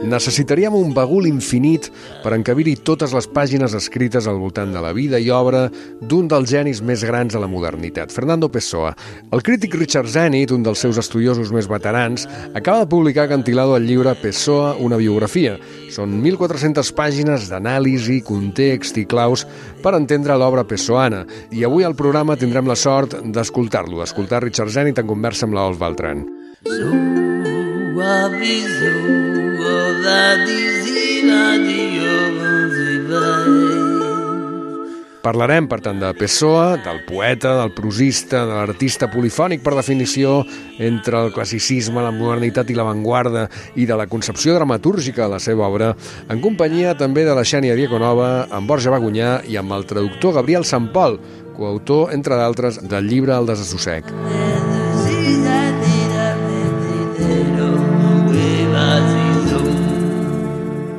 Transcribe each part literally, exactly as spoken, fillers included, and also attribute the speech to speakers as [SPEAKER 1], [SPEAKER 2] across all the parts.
[SPEAKER 1] Necessitaríem un bagul infinit per encabir-hi totes les pàgines escrites al voltant de la vida i obra d'un dels genis més grans de la modernitat, Fernando Pessoa. El crític Richard Zenith, un dels seus estudiosos més veterans, acaba de publicar a Acantilado el llibre Pessoa, una biografia. Són mil quatre-centes pàgines d'anàlisi, context i claus per entendre l'obra pessoana. I avui al programa tindrem la sort d'escoltar-lo, d'escoltar Richard Zenith en conversa amb l'Olf Beltran. Parlarem, per tant, de Pessoa, del poeta, del prosista, de l'artista polifònic per definició, entre el classicisme, la modernitat i l'avantguarda, i de la concepció dramatúrgica de la seva obra, en companyia també de la Xènia Dieconova, amb Borja Bagunyà i amb el traductor Gabriel Sampol, coautor, entre d'altres, del llibre El desassossec.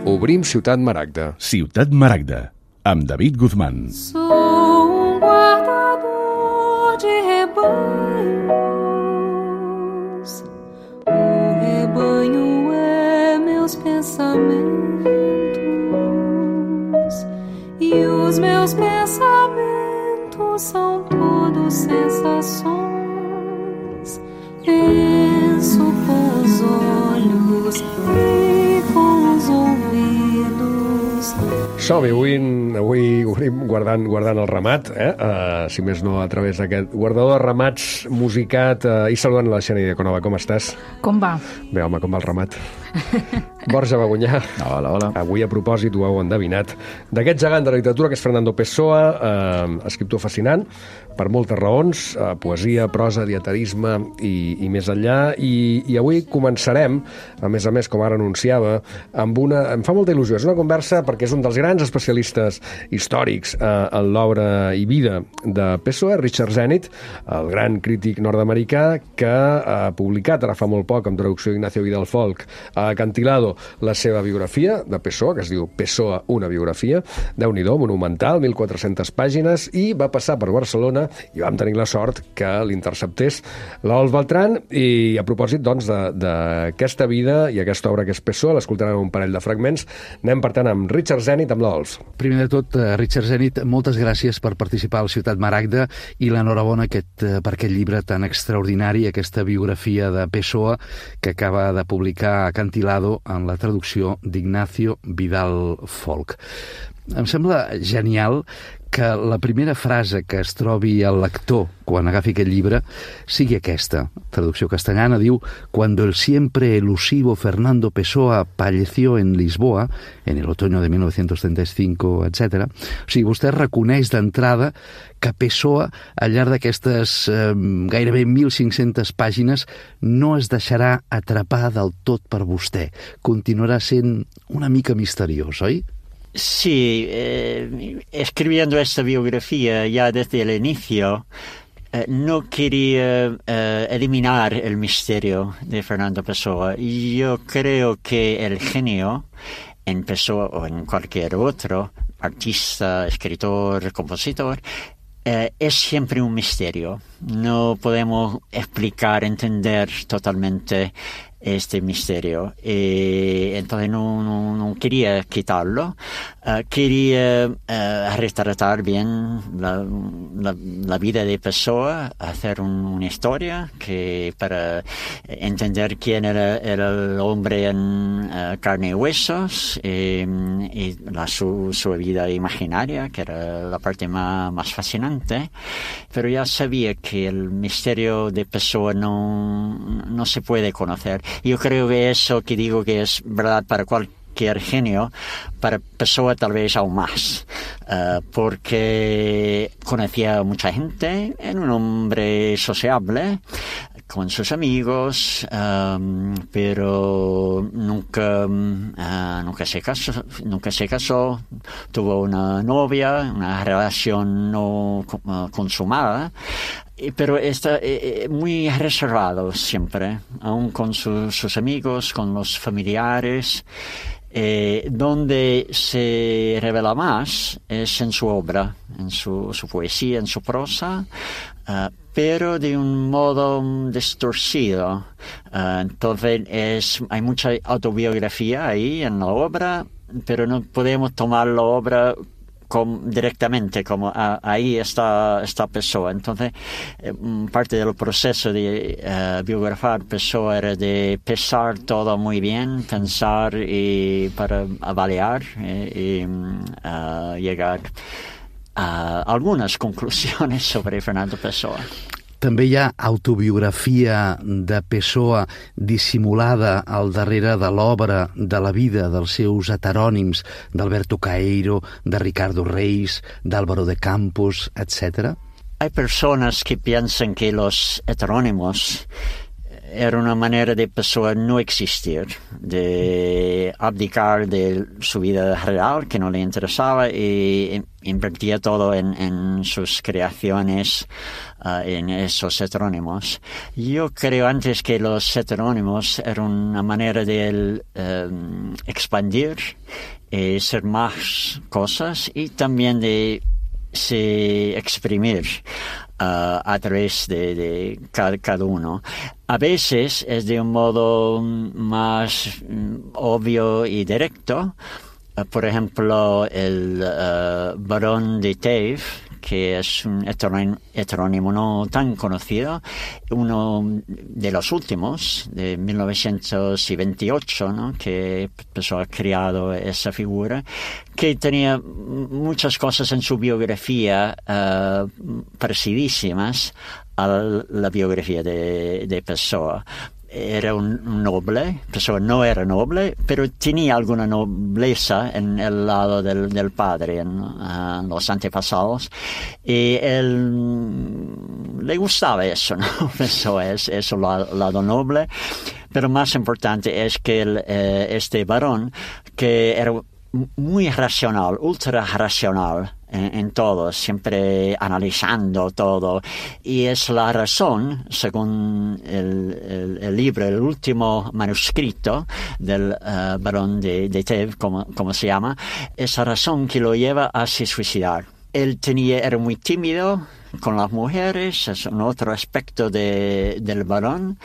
[SPEAKER 1] Obrim Ciutat Maragda.
[SPEAKER 2] Ciutat Maragda, amb David Guzmán.
[SPEAKER 3] Sou um guardador de rebanhos. O rebanho é meus pensamentos. E os meus pensamentos são todos sensações. Penso com os olhos e com os ouvidos.
[SPEAKER 1] Som-hi, avui, avui obrim guardant, guardant el ramat, eh? Uh, si més no a través d'aquest guardador de ramats musicat, uh, i saludant la Xènia Dieconova. Com estàs?
[SPEAKER 4] Com va?
[SPEAKER 1] Bé, home, com va el ramat? Borja Bagunyà.
[SPEAKER 2] Hola, hola.
[SPEAKER 1] Avui, a propòsit, ho heu endevinat, d'aquest gegant de la literatura que és Fernando Pessoa, eh, escriptor fascinant, per moltes raons, eh, poesia, prosa, dietarisme i, i més enllà, i, i avui començarem, a més a més, com ara anunciava, amb una... Em fa molta il·lusió, és una conversa perquè és un dels grans especialistes històrics eh, en l'obra i vida de Pessoa, Richard Zenith, el gran crític nord-americà que ha publicat ara fa molt poc, amb traducció d'Ignacio Vidal Folk, a Acantilado, la seva biografia de Pessoa, que es diu Pessoa, una biografia, Déu-n'hi-do, monumental, mil quatre-centes pàgines, i va passar per Barcelona i vam tenir la sort que l'interceptés l'Olf Beltran, i a propòsit, doncs, d'aquesta vida i aquesta obra que és Pessoa, l'escoltarem un parell de fragments. Anem, per tant, amb Richard Zenith, amb l'Olf.
[SPEAKER 5] Primer de tot, Richard Zenith, moltes gràcies per participar al Ciutat Maragda i l'enhorabona aquest, per aquest llibre tan extraordinari, aquesta biografia de Pessoa que acaba de publicar a Acantilado en la traducció d'Ignacio Vidal Folk. Em sembla genial que la primera frase que es trobi el lector quan agafi aquest llibre sigui aquesta. Traducció castellana diu: «Cuando el siempre elusivo Fernando Pessoa falleció en Lisboa, en el otoño de mil novecientos treinta y cinco, etcètera» O sigui, vostè reconeix d'entrada que Pessoa, al llarg d'aquestes eh, gairebé mil cinc-centes pàgines, no es deixarà atrapar del tot per vostè. Continuarà sent una mica misteriós, oi?
[SPEAKER 6] Sí, eh, escribiendo esta biografía ya desde el inicio, eh, no quería eh, eliminar el misterio de Fernando Pessoa. Y yo creo que el genio en Pessoa o en cualquier otro artista, escritor, compositor, eh, es siempre un misterio. No podemos explicar, entender totalmente este misterio, y entonces no, no, no quería quitarlo, uh, quería uh, retratar bien la, la, la vida de Pessoa, hacer un, una historia que para entender quién era, era el hombre en uh, carne y huesos, y, y la, su, su vida imaginaria, que era la parte más, más fascinante, pero ya sabía que el misterio de Pessoa no, no se puede conocer. Yo creo que eso que digo que es verdad para cualquier genio, para Pessoa tal vez aún más, uh, porque conocía a mucha gente, era un hombre sociable con sus amigos, um, pero nunca, uh, nunca se casó, nunca se casó, tuvo una novia, una relación no uh, consumada. Pero está eh, muy reservado siempre, aún con su, sus amigos, con los familiares. Eh, donde se revela más es en su obra, en su, su poesía, en su prosa, uh, pero de un modo distorcido. Uh, entonces es, hay mucha autobiografía ahí en la obra, pero no podemos tomar la obra como, directamente, como ah, ahí está, está Pessoa. Entonces, eh, parte del proceso de uh, biografar Pessoa era de pensar todo muy bien, pensar y para avaliar eh, y uh, llegar a algunes conclusions sobre Fernando Pessoa.
[SPEAKER 5] També hi ha autobiografia de Pessoa dissimulada al darrere de l'obra, de la vida dels seus heterònims, d'Alberto Caeiro, de Ricardo Reis, d'Álvaro de Campos, etcétera.
[SPEAKER 6] Hay personas que piensan que los heterónimos era una manera de Pessoa no existir, de abdicar de su vida real, que no le interesaba, y invertía todo en, en sus creaciones, uh, en esos heterónimos. Yo creo antes que los heterónimos eran una manera de um, expandir y ser más cosas, y también de se exprimir uh, a través de, de cada, cada uno. A veces es de un modo más um, obvio y directo. Uh, por ejemplo, el uh, Barón de Tave, que es un heterónimo no tan conocido, uno de los últimos, de mil novecientos veintiocho, ¿no? Que empezó a crear esa figura, que tenía muchas cosas en su biografía uh, parecidísimas a la biografía de, de Pessoa. Era un noble, Pessoa no era noble, pero tenía alguna nobleza en el lado del, del padre, en uh, los antepasados, y él le gustaba eso, ¿no? Pessoa es eso, lado, lado noble, pero más importante es que el, eh, este varón, que era muy racional, ultra racional en, en todo, siempre analizando todo. Y es la razón, según el, el, el libro, el último manuscrito del uh, Barón de, de Tave, como, como se llama, esa razón que lo lleva a se suicidar. Él tenía, era muy tímido con las mujeres, es un otro aspecto de, del varón,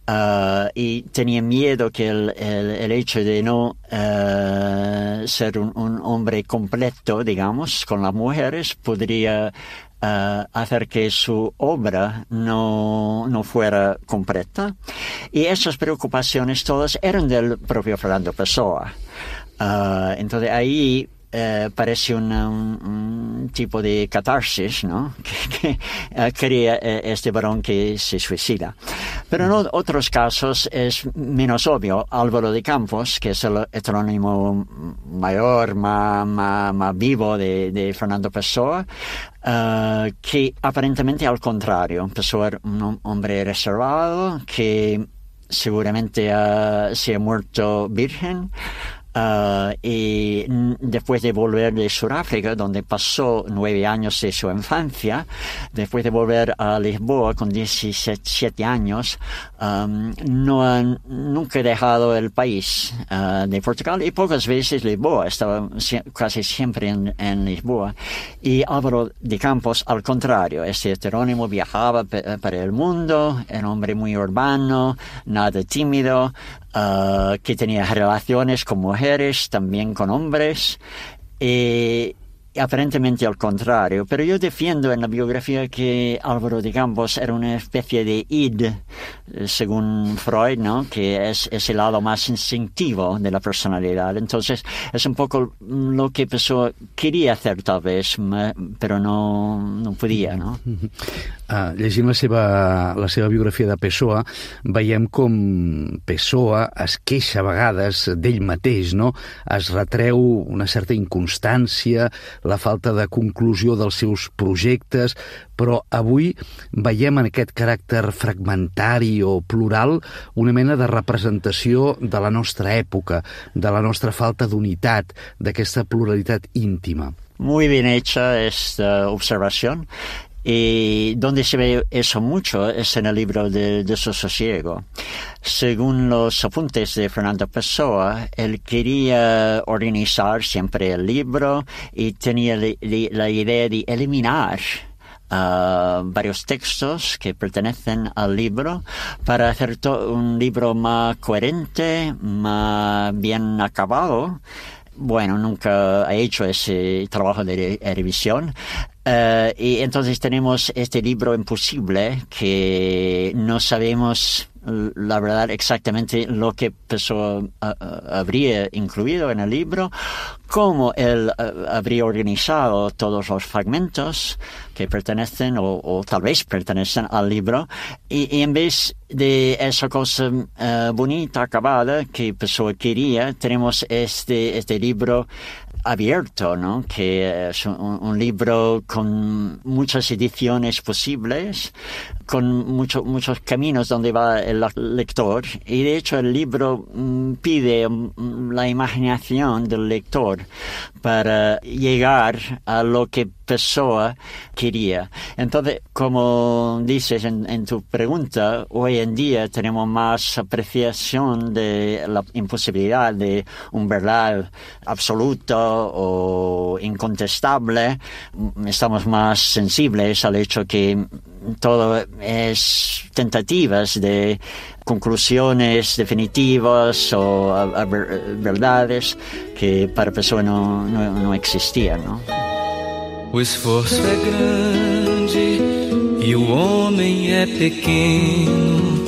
[SPEAKER 6] uh, y tenía miedo que el, el, el hecho de no uh, ser un, un hombre completo, digamos, con las mujeres, podría uh, hacer que su obra no, no fuera completa. Y esas preocupaciones todas eran del propio Fernando Pessoa. Uh, entonces ahí Eh, parece una, un, un tipo de catarsis, ¿no? Que, que uh, crea eh, este varón que se suicida. Pero en otros casos es menos obvio. Álvaro de Campos, que es el heterónimo mayor, más, más, más vivo de, de Fernando Pessoa, uh, que aparentemente al contrario. Pessoa era un hombre reservado, que seguramente uh, se ha muerto virgen. Uh, y después de volver de Sudáfrica, donde pasó nueve años de su infancia, después de volver a Lisboa con diecisiete años, um, no han nunca dejado el país uh, de Portugal, y pocas veces Lisboa, estaba si- casi siempre en, en Lisboa. Y Álvaro de Campos, al contrario, este heterónimo viajaba pe- para el mundo, era un hombre muy urbano, nada tímido, Uh, que tenía relaciones con mujeres, también con hombres, y aparentemente al contrario. Pero yo defiendo en la biografía que Álvaro de Campos era una especie de id, según Freud, ¿no? Que es, es el lado más instintivo de la personalidad. Entonces, es un poco lo que Pessoa quería hacer tal vez, pero no, no podía, ¿no?
[SPEAKER 5] Uh, llegint la seva, la seva biografia de Pessoa, veiem com Pessoa es queixa a vegades d'ell mateix, no? Es retreu una certa inconstància, la falta de conclusió dels seus projectes, però avui veiem en aquest caràcter fragmentari o plural una mena de representació de la nostra època, de la nostra falta d'unitat, d'aquesta pluralitat íntima.
[SPEAKER 6] Muy bien hecha esta observación. Y donde se ve eso mucho es en el libro de Desasosiego. Según los apuntes de Fernando Pessoa, él quería organizar siempre el libro y tenía li, li, la idea de eliminar Uh, varios textos que pertenecen al libro para hacer un libro más coherente, más bien acabado. Bueno, nunca he hecho ese trabajo de revisión. Uh, y entonces tenemos este libro imposible que no sabemos la verdad exactamente lo que Pessoa uh, habría incluido en el libro, cómo él uh, habría organizado todos los fragmentos que pertenecen o, o tal vez pertenecen al libro, y, y en vez de esa cosa uh, bonita, acabada que Pessoa quería, tenemos este, este libro abierto, ¿no? Que es un, un libro con muchas ediciones posibles, con mucho, muchos caminos donde va el lector, y de hecho el libro mm, pide mm, la imaginación del lector para llegar a lo que Pessoa quería. Entonces, como dices en, en tu pregunta, hoy en día tenemos más apreciación de la imposibilidad de un verdad absoluto o incontestable. Estamos más sensibles al hecho que todo es tentativas de conclusiones definitivas o a, a ver, verdades que para Pessoa no, no, no existían, ¿no?
[SPEAKER 4] O esforço é grande e o homem é pequeno.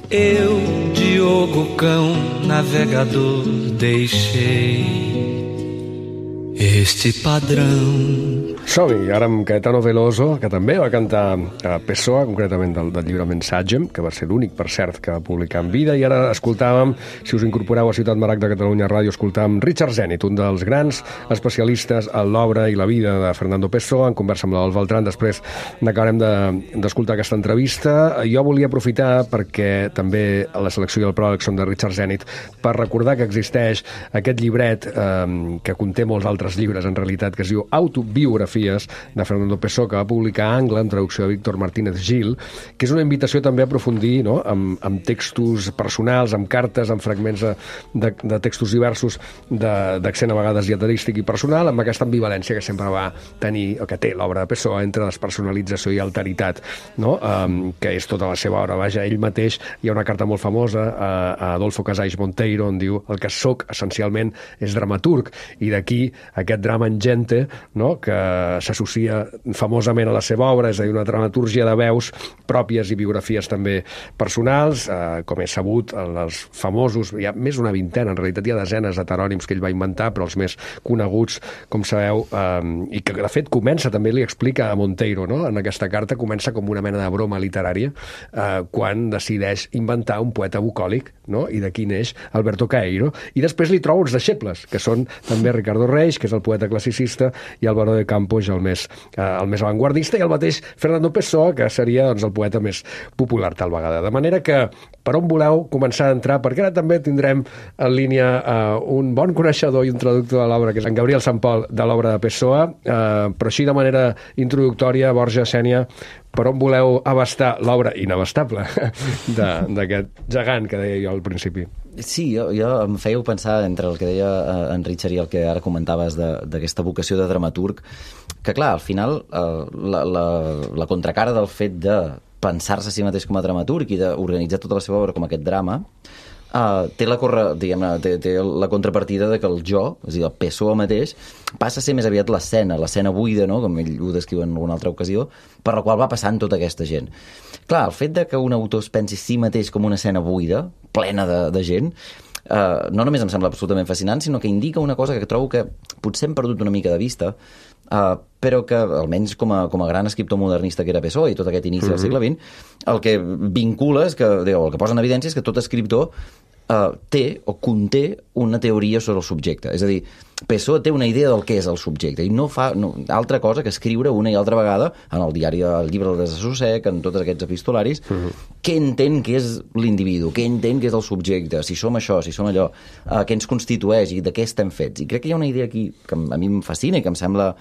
[SPEAKER 4] Eu, Diogo Cão, navegador, deixei este padrão.
[SPEAKER 1] Som-hi, ara amb Caetano Veloso, que també va cantar a Pessoa, concretament del, del llibre Mensagem, que va ser l'únic, per cert, que va publicar en vida, i ara escoltàvem, si us incorporeu a Ciutat Maragda de Catalunya Ràdio, escoltàvem Richard Zenit, un dels grans especialistes en l'obra i la vida de Fernando Pessoa, en conversa amb l'Adolf Beltrán. Després n'acabarem d'escoltar de, aquesta entrevista. Jo volia aprofitar, perquè també a la selecció i el pròleg són de Richard Zenit, per recordar que existeix aquest llibret eh, que conté molts altres llibres, en realitat, que es diu Autobiografies de Fernando Pessoa, que va publicar a Angle, en traducció de Víctor Martínez Gil, que és una invitació també a aprofundir, no?, amb, amb textos personals, amb cartes, amb fragments de, de, de textos diversos d'accent a vegades dieterístic i personal, amb aquesta ambivalència que sempre va tenir, o que té l'obra de Pessoa, entre despersonalització i alteritat, no?, um, que és tota la seva obra. Vaja, ell mateix, hi ha una carta molt famosa a, a Adolfo Casais Monteiro, on diu: el que soc essencialment és dramaturg, i d'aquí aquest drama ingente, no?, que s'associa famosament a la seva obra, és a dir, una dramatúrgia de veus pròpies i biografies també personals, eh, com és sabut, els famosos, hi ha més d'una vintena, en realitat hi ha desenes heterònims que ell va inventar, però els més coneguts, com sabeu, eh, i que de fet comença, també li explica a Monteiro, no?, en aquesta carta, comença com una mena de broma literària, eh, quan decideix inventar un poeta bucòlic, no?, i d'aquí neix Alberto Caeiro, i després li troba uns deixebles, que són també Ricardo Reis, que és el poeta classicista, i Álvaro de Campos, el més, eh, el més avantguardista, i el mateix Fernando Pessoa, que seria, doncs, el poeta més popular tal vegada. De manera que, per on voleu començar a entrar? Perquè ara també tindrem en línia eh, un bon coneixedor i un traductor de l'obra, que és en Gabriel Sampol, de l'obra de Pessoa, eh, però així de manera introductòria, Borja, Sènia, per on voleu abastar l'obra inabastable d'aquest gegant que deia jo al principi?
[SPEAKER 7] Sí, jo, jo em fèieu pensar entre el que deia en Richard i el que ara comentaves d'aquesta vocació de dramaturg, que clar, al final eh, la, la, la contracara del fet de pensar-se a si mateix com a dramaturg i d'organitzar tota la seva obra com aquest drama, Uh, té, la corre, té, té la contrapartida de que el jo, és a dir, el Pessoa mateix, passa a ser més aviat l'escena, l'escena buida, no?, com ell ho descriu en alguna altra ocasió, per la qual va passant tota aquesta gent. Clar, el fet de que un autor es pensi si mateix com una escena buida, plena de, de gent, uh, no només em sembla absolutament fascinant, sinó que indica una cosa que trobo que potser hem perdut una mica de vista, uh, però que, almenys com a, com a gran escriptor modernista que era Pessoa i tot aquest inici mm-hmm. del segle vint, el que vincula és que, el que posa en evidència és que tot escriptor Uh, té o conté una teoria sobre el subjecte. És a dir, Pessoa té una idea del que és el subjecte i no fa no, altra cosa que escriure una i altra vegada en el diari, el llibre del Desassossec, en tots aquests epistolaris, uh-huh. què entén que és l'individu, què entén que és el subjecte, si som això, si som allò, uh, què ens constitueix i de què estem fets. I crec que hi ha una idea aquí que a mi em fascina i que em sembla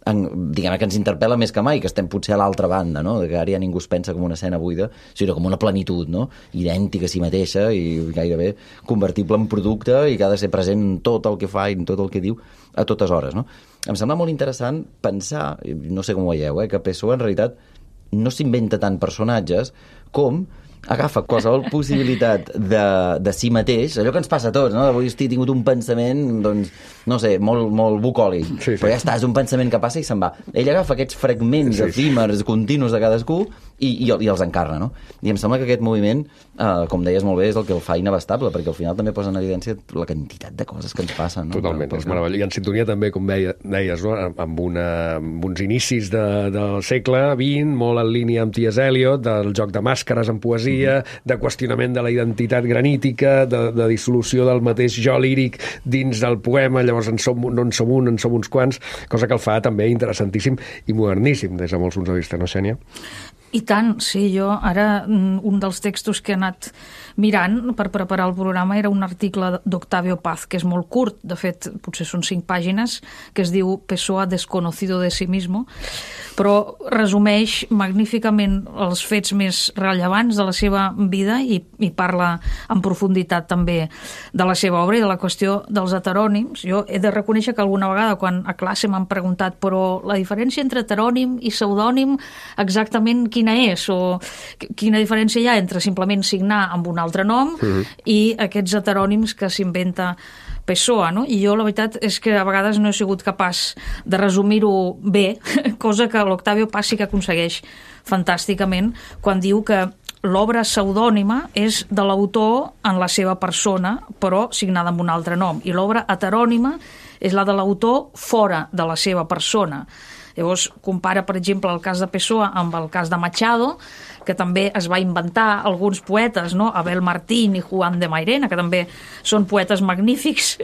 [SPEAKER 7] en, diguem que ens interpel·la més que mai, que estem potser a l'altra banda, no? Que ara ja ningú es pensa com una escena buida, sinó com una plenitud, no? Idèntica a si mateixa i gairebé convertible en producte i que ha de ser present en tot el que fa i en tot el que diu a totes hores, no? Em sembla molt interessant pensar, no sé com ho veieu, eh, que Pessoa en realitat no s'inventa tant personatges com agafa qualsevol possibilitat de, de si mateix, allò que ens passa a tots, no? Avui he tingut un pensament, doncs, no sé, molt, molt bucòlic, sí, sí. Però ja està, és un pensament que passa i se'n va. Ell agafa aquests fragments sí, efímers, continus de cadascú i, i, i els encarna, no? I em sembla que aquest moviment, eh, com deies molt bé, és el que el fa inabastable, perquè al final també posa en evidència la quantitat de coses que ens passen, no?
[SPEAKER 1] Totalment, però, és meravellós. I en sintonia també, com deia, deies, no? amb, una, amb uns inicis de, del segle vint, molt en línia amb T S Eliot, del joc de màscares en poesia, mm-hmm. de qüestionament de la identitat granítica, de, de dissolució del mateix jo líric dins del poema, llavors en som, no en som un, en som uns quants, cosa que el fa també interessantíssim i moderníssim des de molts punts de vista, no, Xènia?
[SPEAKER 8] I tant, sí, jo ara un dels textos que he anat mirant per preparar el programa era un article d'Octavio Paz, que és molt curt, de fet, potser són cinc pàgines, que es diu Pessoa desconocido de sí mismo, però resumeix magníficament els fets més rellevants de la seva vida i, i parla en profunditat també de la seva obra i de la qüestió dels heterònims. Jo he de reconèixer que alguna vegada quan a classe m'han preguntat però la diferència entre heterònim i pseudònim exactament quina és o quina diferència hi ha entre simplement signar amb un altre nom uh-huh. i aquests heterònims que s'inventa Pessoa, no? I jo la veritat és que a vegades no he sigut capaç de resumir-ho bé, cosa que l'Octavio Paz sí que aconsegueix fantàsticament quan diu que l'obra pseudònima és de l'autor en la seva persona, però signada amb un altre nom, i l'obra heterònima és la de l'autor fora de la seva persona. Llavors, compara, per exemple, el cas de Pessoa amb el cas de Machado, que també es va inventar alguns poetes, no? Abel Martín i Juan de Mairena, que també són poetes magnífics,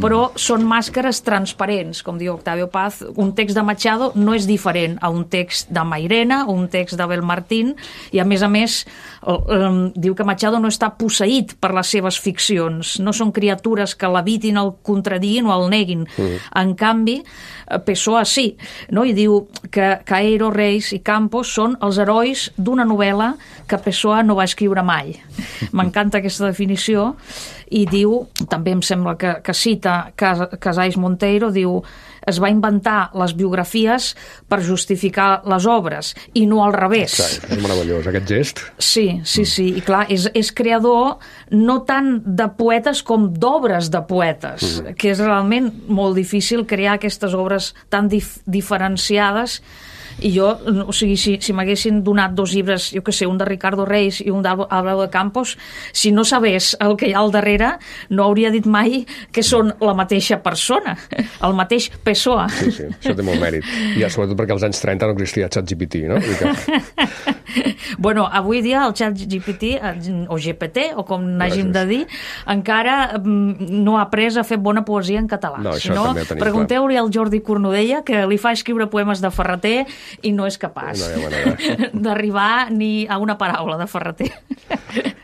[SPEAKER 8] però mm. són màscares transparents, com diu Octavio Paz. Un text de Machado no és diferent a un text de Mairena o un text d'Abel Martín, i a més a més um, diu que Machado no està posseït per les seves ficcions, no són criatures que l'evitin, el contradiguin o el neguin. Mm. En canvi, Pessoa sí, no? I diu que Caeiro, Reis i Campos són els herois d'una novel·la que Pessoa no va escriure mai. M'encanta aquesta definició i diu, també em sembla que, que cita Casais Monteiro, diu es va inventar les biografies per justificar les obres i no al revés.
[SPEAKER 1] Exacte, és meravellós, aquest gest.
[SPEAKER 8] Sí, sí, sí, i clar, és, és creador no tant de poetes com d'obres de poetes, mm. que és realment molt difícil crear aquestes obres tan dif diferenciades. I jo, o sigui, si, si m'haguessin donat dos llibres, jo què sé, un de Ricardo Reis i un d'Álvaro de Campos, si no sabés el que hi ha al darrere, no hauria dit mai que són la mateixa persona, el mateix Pessoa.
[SPEAKER 1] Sí, sí, això té molt mèrit. I sobretot perquè als anys trenta no existia ChatGPT, no?
[SPEAKER 8] Bueno, avui dia el ChatGPT, o G P T, o com n'hàgim de dir, encara no ha après a fer bona poesia en català.
[SPEAKER 1] No,
[SPEAKER 8] si no, pregunteu-li al Jordi Cornudella, que li fa escriure poemes de Ferreter i no és capaç no d'arribar ni a una paraula de Ferreter.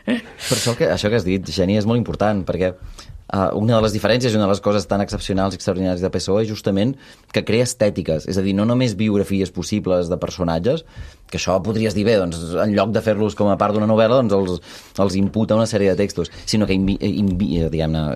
[SPEAKER 7] Per això que, això que has dit, Xènia, és molt important, perquè Uh, una de les diferències i una de les coses tan excepcionals i extraordinàries de Pessoa és justament que crea estètiques, és a dir, no només biografies possibles de personatges, que això podries dir bé, doncs, en lloc de fer-los com a part d'una novel·la, doncs els, els imputa una sèrie de textos, sinó que invi, invi, diguem-ne,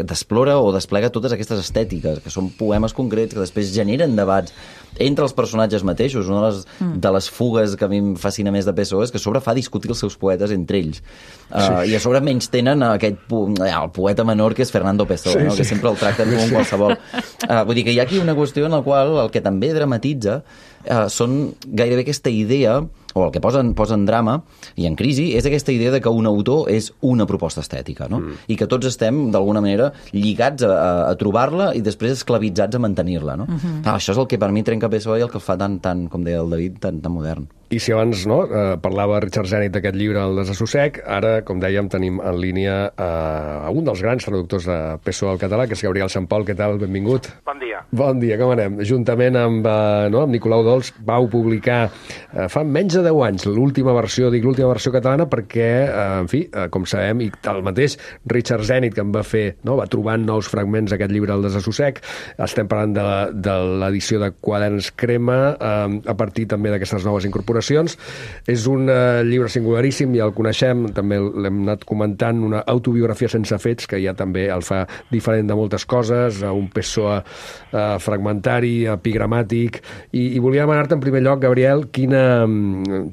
[SPEAKER 7] d'explora o desplega totes aquestes estètiques, que són poemes concrets que després generen debats entre els personatges mateixos. Una de les, mm. de les fugues que a mi em fascina més de Pessoa és que a sobre fa discutir els seus poetes entre ells. Uh, sí. I a sobre menys tenen aquest el poeta menor que és Fernando Pessoa, sí, no? Sí. Que sempre el tracten com un qualsevol. Uh, vull dir que hi ha aquí una qüestió en la qual el que també dramatitza uh, són gairebé aquesta idea, o el que posa en, posa en drama i en crisi, és aquesta idea de que un autor és una proposta estètica, no? Mm. I que tots estem, d'alguna manera, lligats a, a, a trobar-la i després esclavitzats a mantenir-la, no? Mm-hmm. Ah, això és el que per mi trenca Pessoa i el que el fa tan, tan, com deia el David, tan, tan modern.
[SPEAKER 1] I si abans no, eh, parlava Richard Zenit d'aquest llibre, El desassossec, ara, com dèiem, tenim en línia eh, un dels grans traductors de P S O E al català, que és Gabriel Sant Pol. Què tal? Benvingut.
[SPEAKER 9] Bon dia.
[SPEAKER 1] Bon dia, com anem? Juntament amb, eh, no, amb Nicolau Dols vau publicar eh, fa menys de deu anys l'última versió, dic l'última versió catalana, perquè, eh, en fi, eh, com sabem, i el mateix Richard Zenit, que en va fer, no, va trobant nous fragments aquest llibre, El desassossec. Estem parlant de, de l'edició de Quaderns Crema, eh, a partir també d'aquestes noves incorporacions. És un uh, llibre singularíssim, ja el coneixem, també l'hem anat comentant, una autobiografia sense fets, que ja també el fa diferent de moltes coses, un P S O E uh, fragmentari, epigramàtic, i, i volia demanar-te en primer lloc, Gabriel, quina,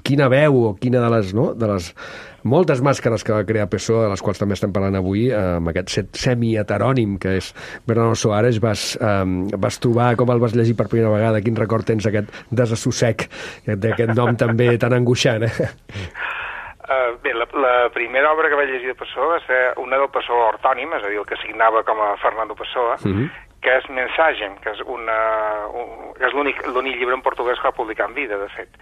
[SPEAKER 1] quina veu o quina de les, no, de les moltes màscares que va crear P S O E, de les quals també estem parlant avui, amb aquest semi-heterònim que és Bernardo Soares, vas, um, vas trobar, com el vas llegir per primera vegada, quin record tens d'aquest desassossec, d'aquest nom també tan angoixant, eh?
[SPEAKER 9] Uh, bé, la, la primera obra que vaig llegir de P S O E va ser una del P S O E ortònim, és a dir, el que signava com a Fernando P S O E, uh-huh. que és Mensagem, que és, una, un, que és l'únic l'únic llibre en portuguès que va publicar en vida, de fet.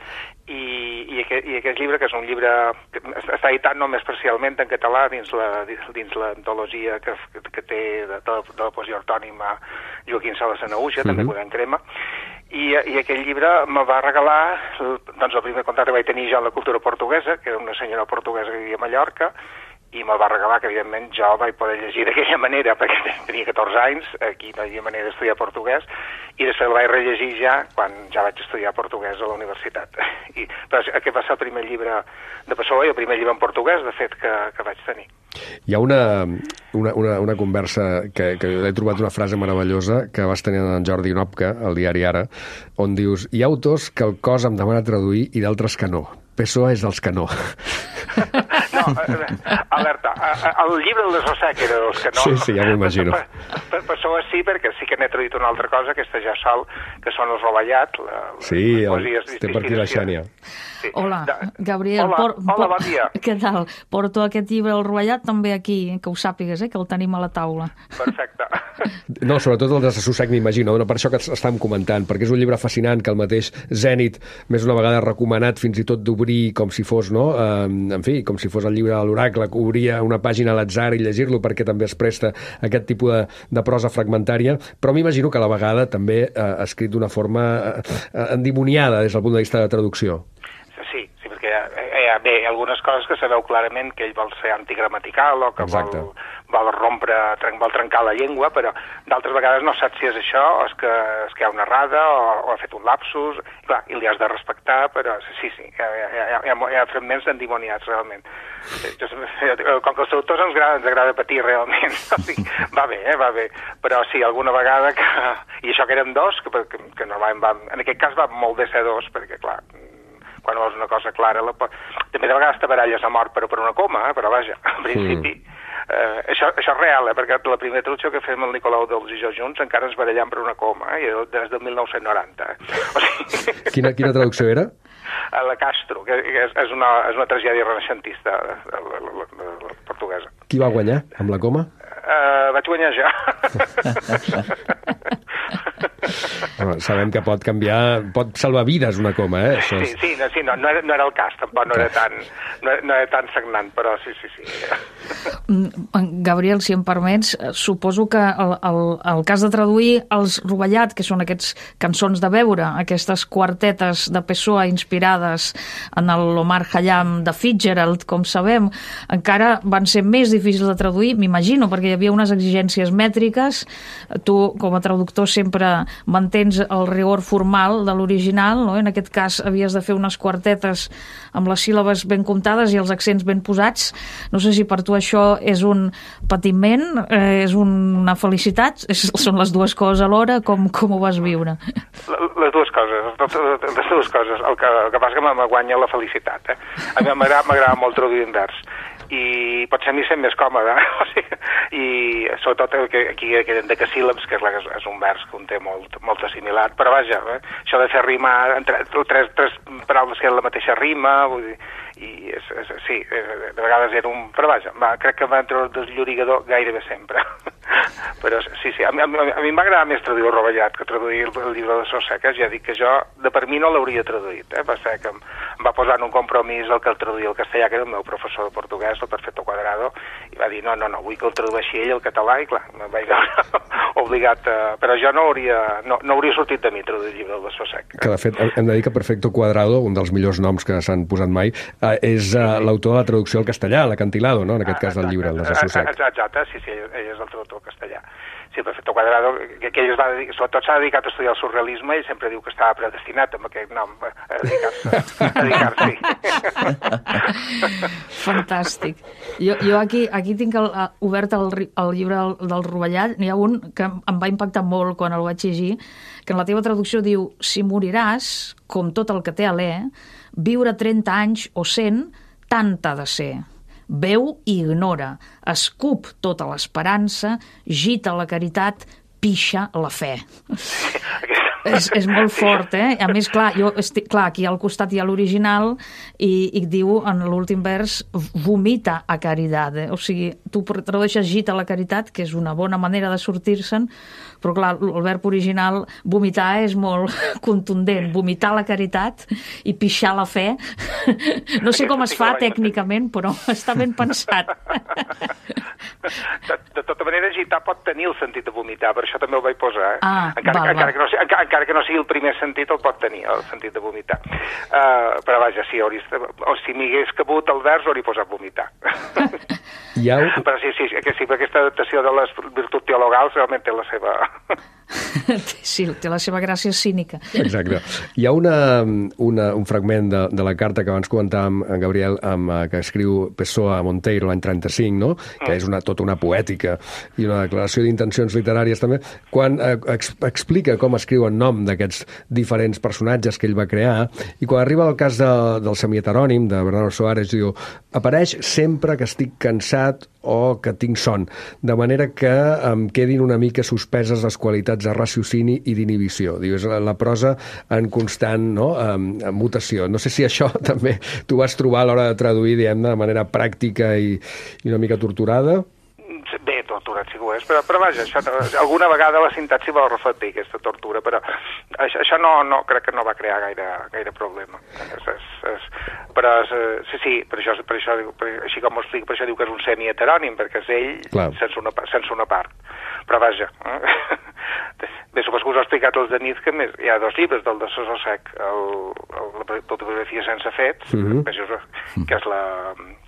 [SPEAKER 9] I, i, aquest, i aquest llibre, que és un llibre que està editat només parcialment en català dins la dins l'antologia que, que té de, de, de la poesia ortònima Joaquim Sala Sanaúja, uh-huh. també Quaderns Crema, i, i aquell llibre me va regalar doncs, el primer contacte que vaig tenir jo amb la cultura portuguesa, que era una senyora portuguesa que vivia a Mallorca, i me'l va regalar, que evidentment jo vaig poder llegir d'aquella manera, perquè tenia catorze anys, aquí no hi havia manera d'estudiar portuguès, i després el vaig rellegir ja quan ja vaig estudiar portuguès a la universitat. I, però aquest va ser el primer llibre de P S O E i el primer llibre en portuguès, de fet, que, que vaig tenir.
[SPEAKER 1] Hi ha una, una, una, una conversa que, que he trobat una frase meravellosa que vas tenir en Jordi Nopka, al diari Ara, on dius, hi ha autors que el cos em demana traduir i d'altres que no. P S O E és dels que no.
[SPEAKER 9] No, alerta, el llibre del desassossec era dels que no.
[SPEAKER 1] Sí, sí, ja m'ho imagino.
[SPEAKER 9] Per, per això sí, perquè sí que n'he traduït una altra cosa, aquesta ja sol, que són els Rovellat. La,
[SPEAKER 1] sí, té per aquí la Xènia.
[SPEAKER 8] Sí. Hola, Gabriel.
[SPEAKER 9] Hola,
[SPEAKER 8] por,
[SPEAKER 9] hola,
[SPEAKER 8] por,
[SPEAKER 9] bon dia.
[SPEAKER 8] Què tal? Porto aquest llibre al Rovellat també aquí, que ho sàpigues, eh, que el tenim a la taula.
[SPEAKER 9] Perfecte.
[SPEAKER 1] No, sobretot el desassossec, m'imagino, no? Per això que estàvem comentant, perquè és un llibre fascinant que el mateix Zenit, més una vegada recomanat fins i tot d'obrir com si fos, no? Eh, en fi, com si fos el llibre de l'oracle, que obria una pàgina a l'atzar i llegir-lo perquè també es presta aquest tipus de, de prosa fragmentària, però m'imagino que a la vegada també eh, escrit d'una forma eh, endimoniada des del punt de vista de traducció.
[SPEAKER 9] Sí, sí, perquè hi ha, bé, algunes coses que sabeu clarament que ell vol ser antigramatical o que
[SPEAKER 1] Exacte.
[SPEAKER 9] vol, vol rompre, vol trencar la llengua, però d'altres vegades no saps si és això o és que, és que hi ha una errada o, o ha fet un lapsus, i, clar, i li has de respectar, però sí, sí, hi ha, hi ha, hi ha, hi ha fragments endimoniats, realment. Com que els autors ens agrada, ens agrada patir, realment, o sigui, va bé, eh, va bé, però sí, alguna vegada que... I això que eren dos, que, que, que normalment va... En aquest cas va molt bé ser dos, perquè, clar, quan vols una cosa clara, la... també de vegades te baralles a mort, però per una coma, eh? Però vaja, en principi, mm. eh, això, això és real, eh? Perquè la primera traducció que fem el Nicolau Dols i jo junts encara ens barallem per una coma, eh? Des del mil nou-cents noranta. Eh? O sigui...
[SPEAKER 1] quina, quina traducció era?
[SPEAKER 9] A la Castro, que és, és, una, és una tragèdia renaixentista la, la, la, la, la portuguesa.
[SPEAKER 1] Qui va guanyar amb la coma?
[SPEAKER 9] Uh, vaig guanyar jo.
[SPEAKER 1] Bueno, sabem que pot canviar, pot salvar vides una coma, eh? Això és...
[SPEAKER 9] Sí, sí, no, sí no, no, era, no era el cas, tampoc no era tan, no, no era tan sagnant, però sí, sí, sí.
[SPEAKER 8] Gabriel, si em permets, suposo que el, el, el cas de traduir els Rovellat, que són aquests cançons de veure, aquestes quartetes de P S O E inspirades en l'Omar Khayyam de Fitzgerald, com sabem, encara van ser més difícils de traduir, m'imagino, perquè hi havia unes exigències mètriques. Tu, com a traductor, sempre mantens el rigor formal de l'original, no? En aquest cas havies de fer unes quartetes amb les síl·labes ben comptades i els accents ben posats. No sé si per tu això és un patiment, eh, és una felicitat, és, són les dues coses alhora, com, com ho vas viure?
[SPEAKER 9] Les dues coses, les dues coses. El que, el que passa que me guanya la felicitat. Eh? A mi m'agrada molt traduir en vers. I potser a mi sent més còmode, o sigui, i sobretot el que aquí queden decasíl·labs, que és, la, és un vers que un té molt, molt assimilat, però vaja, eh, això de fer rimar entre tres, tres paraules que eren la mateixa rima, vull dir, i és, és, sí, de vegades era un... Però vaja, va, crec que va entre el desllorigador gairebé sempre. Però sí, sí, a mi, a mi, a mi m'agrada més traduir el Rovellat que traduir el, el llibre de Sosseca. Ja dic que jo, de per mi, no l'hauria traduït. Eh? Va ser que em, em va posar en un compromís el que el traduïa al castellà, que era el meu professor de portuguès, el Perfecto Cuadrado, i va dir, no, no, no, vull que el tradueixi ell al català, i clar, em vaig veure obligat a... Però jo no hauria, no, no hauria sortit de mi traduir el llibre de Sossec.
[SPEAKER 1] Que, de fet, hem de dir que Perfecto Cuadrado, un dels millors noms que s'han posat mai, eh, és eh, l'autor de la traducció al castellà, l'Acantilado, no?, en aquest cas del llibre, el de Sossec.
[SPEAKER 9] Exacte, sí, sí, ell és el traductor castellà. Sí, Perfecto Cuadrado, que, que ell es va dedicar, sobretot s'ha dedicat a estudiar el surrealisme i sempre diu que estava predestinat amb aquest nom a dedicar-se. A dedicar-s'hi.
[SPEAKER 8] Fantàstic. Jo, jo aquí, aquí tinc el, obert el, el llibre del Rovellat. N'hi ha un que em va impactar molt quan el vaig llegir, que en la teva traducció diu: si moriràs, com tot el que té alè, viure trenta anys o cent, tant ha de ser. Veu i ignora, escup tota l'esperança, gita la caritat, pixa la fe. és, és molt fort, eh? A més, clar, jo estic, clar, aquí al costat hi ha l'original i, i diu en l'últim vers vomita a caridade. O sigui, tu tradueixes gita la caritat, que és una bona manera de sortir-se'n, però clar, el verb original, vomitar, és molt contundent. Vomitar la caritat i pixar la fe. No sé com es fa tècnicament, però està ben pensat.
[SPEAKER 9] De, de tota manera, gitar pot tenir el sentit de vomitar, per això també el vaig posar. Eh?
[SPEAKER 8] Ah,
[SPEAKER 9] encara,
[SPEAKER 8] val,
[SPEAKER 9] encara,
[SPEAKER 8] val.
[SPEAKER 9] Que no, encara, encara que no sigui el primer sentit, el pot tenir, el sentit de vomitar. Uh, però vaja, sí, hauries, o si m'hi hagués cabut el vers, hauria posat vomitar.
[SPEAKER 1] Ja ho...
[SPEAKER 9] Però sí, sí, que sí, aquesta adaptació de les virtuts teologals realment té la seva...
[SPEAKER 8] Sí, té la seva gràcia cínica.
[SPEAKER 1] Exacte. Hi ha una, una, un fragment de, de la carta que abans comentàvem, en Gabriel, amb, que escriu Pessoa a Monteiro l'any trenta-cinc, no? Que és una, tota una poètica i una declaració d'intencions literàries també, quan eh, ex, explica com escriu el nom d'aquests diferents personatges que ell va crear, i quan arriba al cas de, del semi-heterònim de Bernardo Soares, diu: apareix sempre que estic cansat o que tinc son, de manera que em quedin una mica suspeses les qualitats de raciocini i d'inhibició. Diu, és la prosa en constant, no?, en, en mutació. No sé si això també tu vas trobar a l'hora de traduir, diguem, de manera pràctica i, i una mica torturada.
[SPEAKER 9] Bé, torturat sí que ho és, però, però vaja, això, alguna vegada la sintaxi va reflectir aquesta tortura, però això, això no, no, crec que no va crear gaire, gaire problema. És, és, és, però és, sí, sí, per això, per això, per, així com ho explico, per això diu que és un semi-heterònim, perquè és ell sense una, sense una part. Però vaja, eh? Bé, supos que us he explicat els de Nit, que més, hi ha dos llibres del de Sossec, el, el, l'autobiografia sense fets, mm-hmm. que, és la,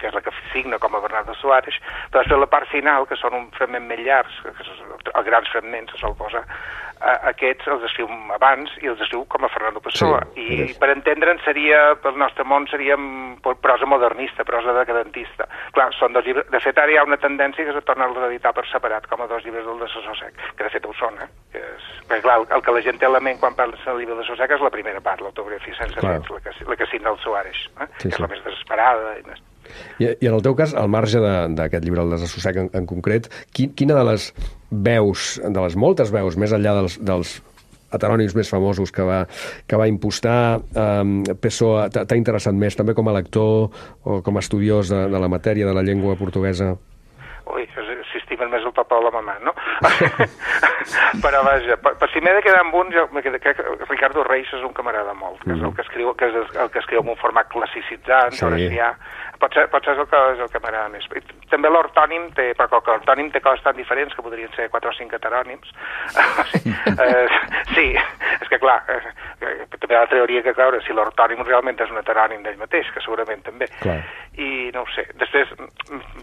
[SPEAKER 9] que és la que signa com a Bernardo Soares, però després la part final, que són un fragment més llargs, que els grans fragments se sol posar, a, aquests els escriu abans i els escriu com a Fernando Pessoa. Sí, I és. Per entendre'n seria, pel nostre món seria prosa modernista, prosa decadentista. Clar, són dos llibres. De fet, ara hi ha una tendència que és a tornar-los a editar per separat, com a dos llibres del de Sossec, que de fet ho són, eh? Que és... Perquè, clar, el que la gent té a la ment quan parla del llibre de Sossec és la primera part, l'autobiografia sense fets, la que, la que signa el Soares, eh? Sí, que és sí. La més desesperada i més...
[SPEAKER 1] I, I en el teu cas, al marge d'aquest llibre, el de Sossec en, en concret, qui, quina de les veus, de les moltes veus, més enllà dels, dels heterònims més famosos que va, que va impostar, eh, Pessoa, t'ha interessat més, també com a lector o com a estudiós de, de la matèria de la llengua portuguesa?
[SPEAKER 9] Ui, si estimen més el papa o la mamà, no? Però vaja, per, per si m'he de quedar amb un, jo crec que Ricardo Reis és un que m'agrada molt, que és el que escriu, que és el que escriu en un format classicitzant, sí. Horacià. Pot ser, pot ser el que, és el que m'agrada més. També l'ortònim té, perquè l'ortònim té coses tan diferents que podrien ser quatre o cinc heterònims. eh, sí, és que clar, eh, també la teoria que, clar, si l'ortònim realment és un heterònim d'ell mateix, que segurament també. Clar. I no ho sé. Després,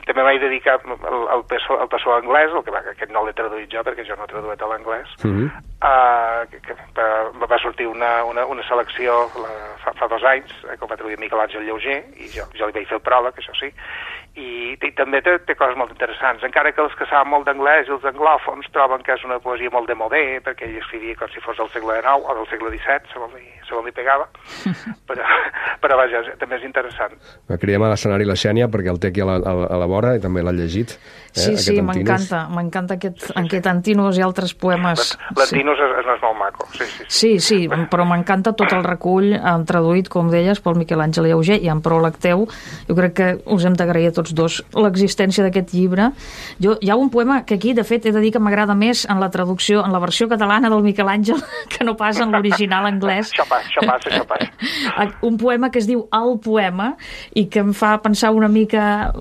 [SPEAKER 9] també m'he dedicat al, al Pessoa, al Pessoa anglès, el que va, aquest no l'he traduït jo, perquè jo no he traduït a l'anglès. Mm-hmm. uh, que, que, va sortir una, una, una selecció la, fa, fa dos anys, eh, que va traduir Miquel Àngel Llauger, i jo, jo li vaig fer el pròleg, això sí, i, i també té, té coses molt interessants, encara que els que saben molt d'anglès i els anglòfons troben que és una poesia molt de modé, perquè ell escrivia com si fos del segle dinou o del segle disset, segons li, segons li pegava, però, però vaja, també és interessant.
[SPEAKER 1] Creiem a l'escenari la Xènia, perquè el té aquí a la, a la vora i també l'ha llegit. Eh,
[SPEAKER 8] sí, sí, m'encanta, m'encanta aquest, sí, sí. aquest Antinous i altres poemes.
[SPEAKER 9] L'Antinous sí. és, és molt maco, sí, sí.
[SPEAKER 8] Sí, sí, sí però m'encanta tot el recull, traduït, com deies, pel Miquel Àngel Llauger i en pròleg teu. Jo crec que us hem d'agrair a tots dos l'existència d'aquest llibre. Jo, hi ha un poema que aquí, de fet, he de dir que m'agrada més en la traducció, en la versió catalana del Miquel Àngel, que no pas en l'original anglès.
[SPEAKER 9] Això passa, això passa, això passa.
[SPEAKER 8] Un poema que es diu El poema i que em fa pensar una mica...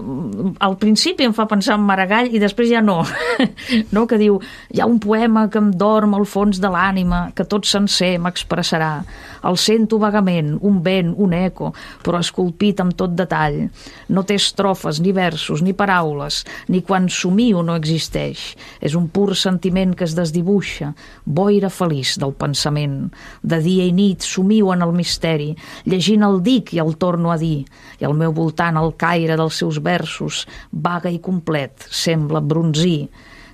[SPEAKER 8] Al principi em fa pensar en Maragall i després ja no. No? Que diu, hi ha un poema que em dorm al fons de l'ànima, que tot sencer m'expressarà. El sento vagament, un vent, un eco, però esculpit amb tot detall. No té estrofes, ni versos, ni paraules, ni quan somio no existeix. És un pur sentiment que es desdibuixa, boira feliç del pensament. De dia i nit somio en el misteri, llegint el dic i el torno a dir, i al meu voltant el caire dels seus versos, vaga i complet, sembla bronzí.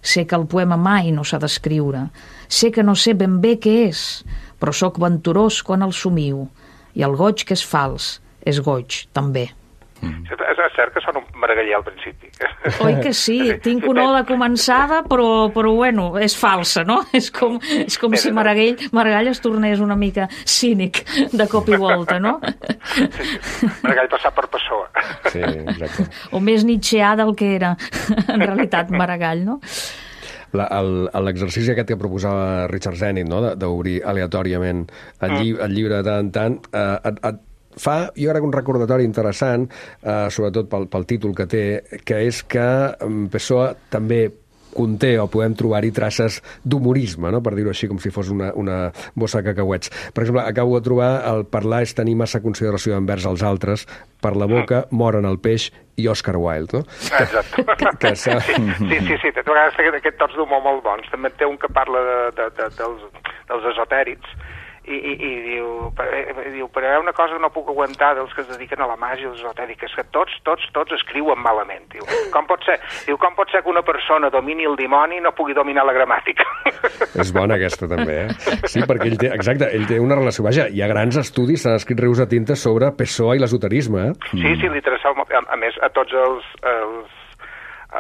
[SPEAKER 8] Sé que el poema mai no s'ha d'escriure, sé que no sé ben bé què és, però sóc venturós quan el somio, i el goig que és fals és goig, també.
[SPEAKER 9] Mm. És, és cert que sona un maragaller al principi.
[SPEAKER 8] Oi que sí? Tinc una ola començada, però, però bueno, és falsa, no? És com, és com si Maragall, Maragall es tornés una mica cínic de cop i volta, no?
[SPEAKER 9] Sí, sí. Maragall passar per Pessoa.
[SPEAKER 1] Sí, exacte.
[SPEAKER 8] O més nietzscheà del que era, en realitat, Maragall, no?
[SPEAKER 1] L'exercici aquest que proposava Richard Zenit, no? D'obrir aleatòriament el, lli el llibre de tant en tant, eh, et, et fa, jo crec, un recordatori interessant, eh, sobretot pel, pel títol que té, que és que Pessoa també conté o podem trobar-hi traces d'humorisme, no? Per dir-ho així, com si fos una, una bossa de cacauets. Per exemple, acabo de trobar el parlar és tenir massa consideració envers els altres, per la boca moren el peix i Oscar Wilde, no?
[SPEAKER 9] Exacte.
[SPEAKER 1] Que, que
[SPEAKER 9] sí, sí, sí, sí, té vegades aquest tots d'humor molt bons. També té un que parla de, de, de, dels, dels esotèrics, i, i, i diu, diu, però hi ha una cosa que no puc aguantar dels que es dediquen a la màgia i els esotèrics, que tots, tots, tots escriuen malament. Diu, com pot ser, diu, com pot ser que una persona domini el dimoni i no pugui dominar la gramàtica?
[SPEAKER 1] És bona aquesta també, eh? Sí, perquè ell té, exacte, ell té una relació, vaja, hi ha grans estudis, s'han escrit rius de tinta sobre Pessoa i l'esoterisme, eh?
[SPEAKER 9] Sí, sí, li interessava, a, a més, a tots els, els,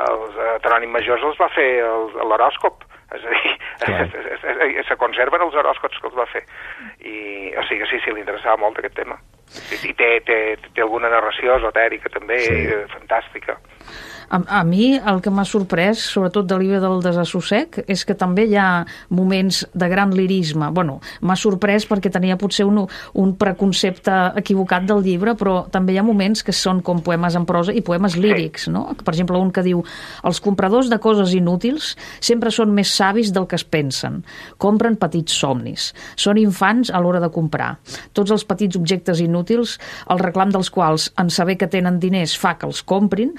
[SPEAKER 9] els heterònims majors els va fer l'horòscop. És a dir, es, es, es, se conserven els horòscops que els va fer. I, o sigui, sí, sí, li interessava molt aquest tema. I, i té, té, té alguna narració esotèrica també, sí. Fantàstica.
[SPEAKER 8] A, a mi el que m'ha sorprès, sobretot del llibre del desassossec, és que també hi ha moments de gran lirisme. Bueno, m'ha sorprès perquè tenia potser un, un preconcepte equivocat del llibre, però també hi ha moments que són com poemes en prosa i poemes lírics, no? Per exemple, un que diu: els compradors de coses inútils sempre són més savis del que es pensen. Compren petits somnis. Són infants a l'hora de comprar. Tots els petits objectes inútils, el reclam dels quals en saber que tenen diners fa que els comprin,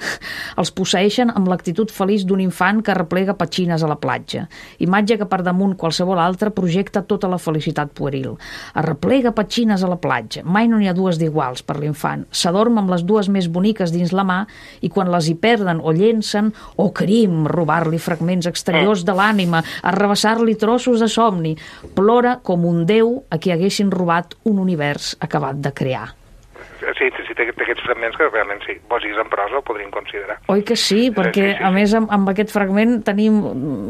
[SPEAKER 8] els posseeixen amb l'actitud feliç d'un infant que replega petxines a la platja. Imatge que per damunt qualsevol altra projecta tota la felicitat pueril. Arreplega petxines a la platja. Mai no n'hi ha dues d'iguals per l'infant. S'adorm amb les dues més boniques dins la mà i quan les hi perden o llencen, o crim, robar-li fragments exteriors de l'ànima, arrabassar-li trossos de somni, plora com un déu a qui haguessin robat un univers acabat de crear.
[SPEAKER 9] Sí, sí, té, té aquests fragments que realment, sí, posis en prosa ho podríem considerar.
[SPEAKER 8] Oi que sí? Perquè, sí, sí, sí. A més, amb, amb aquest fragment tenim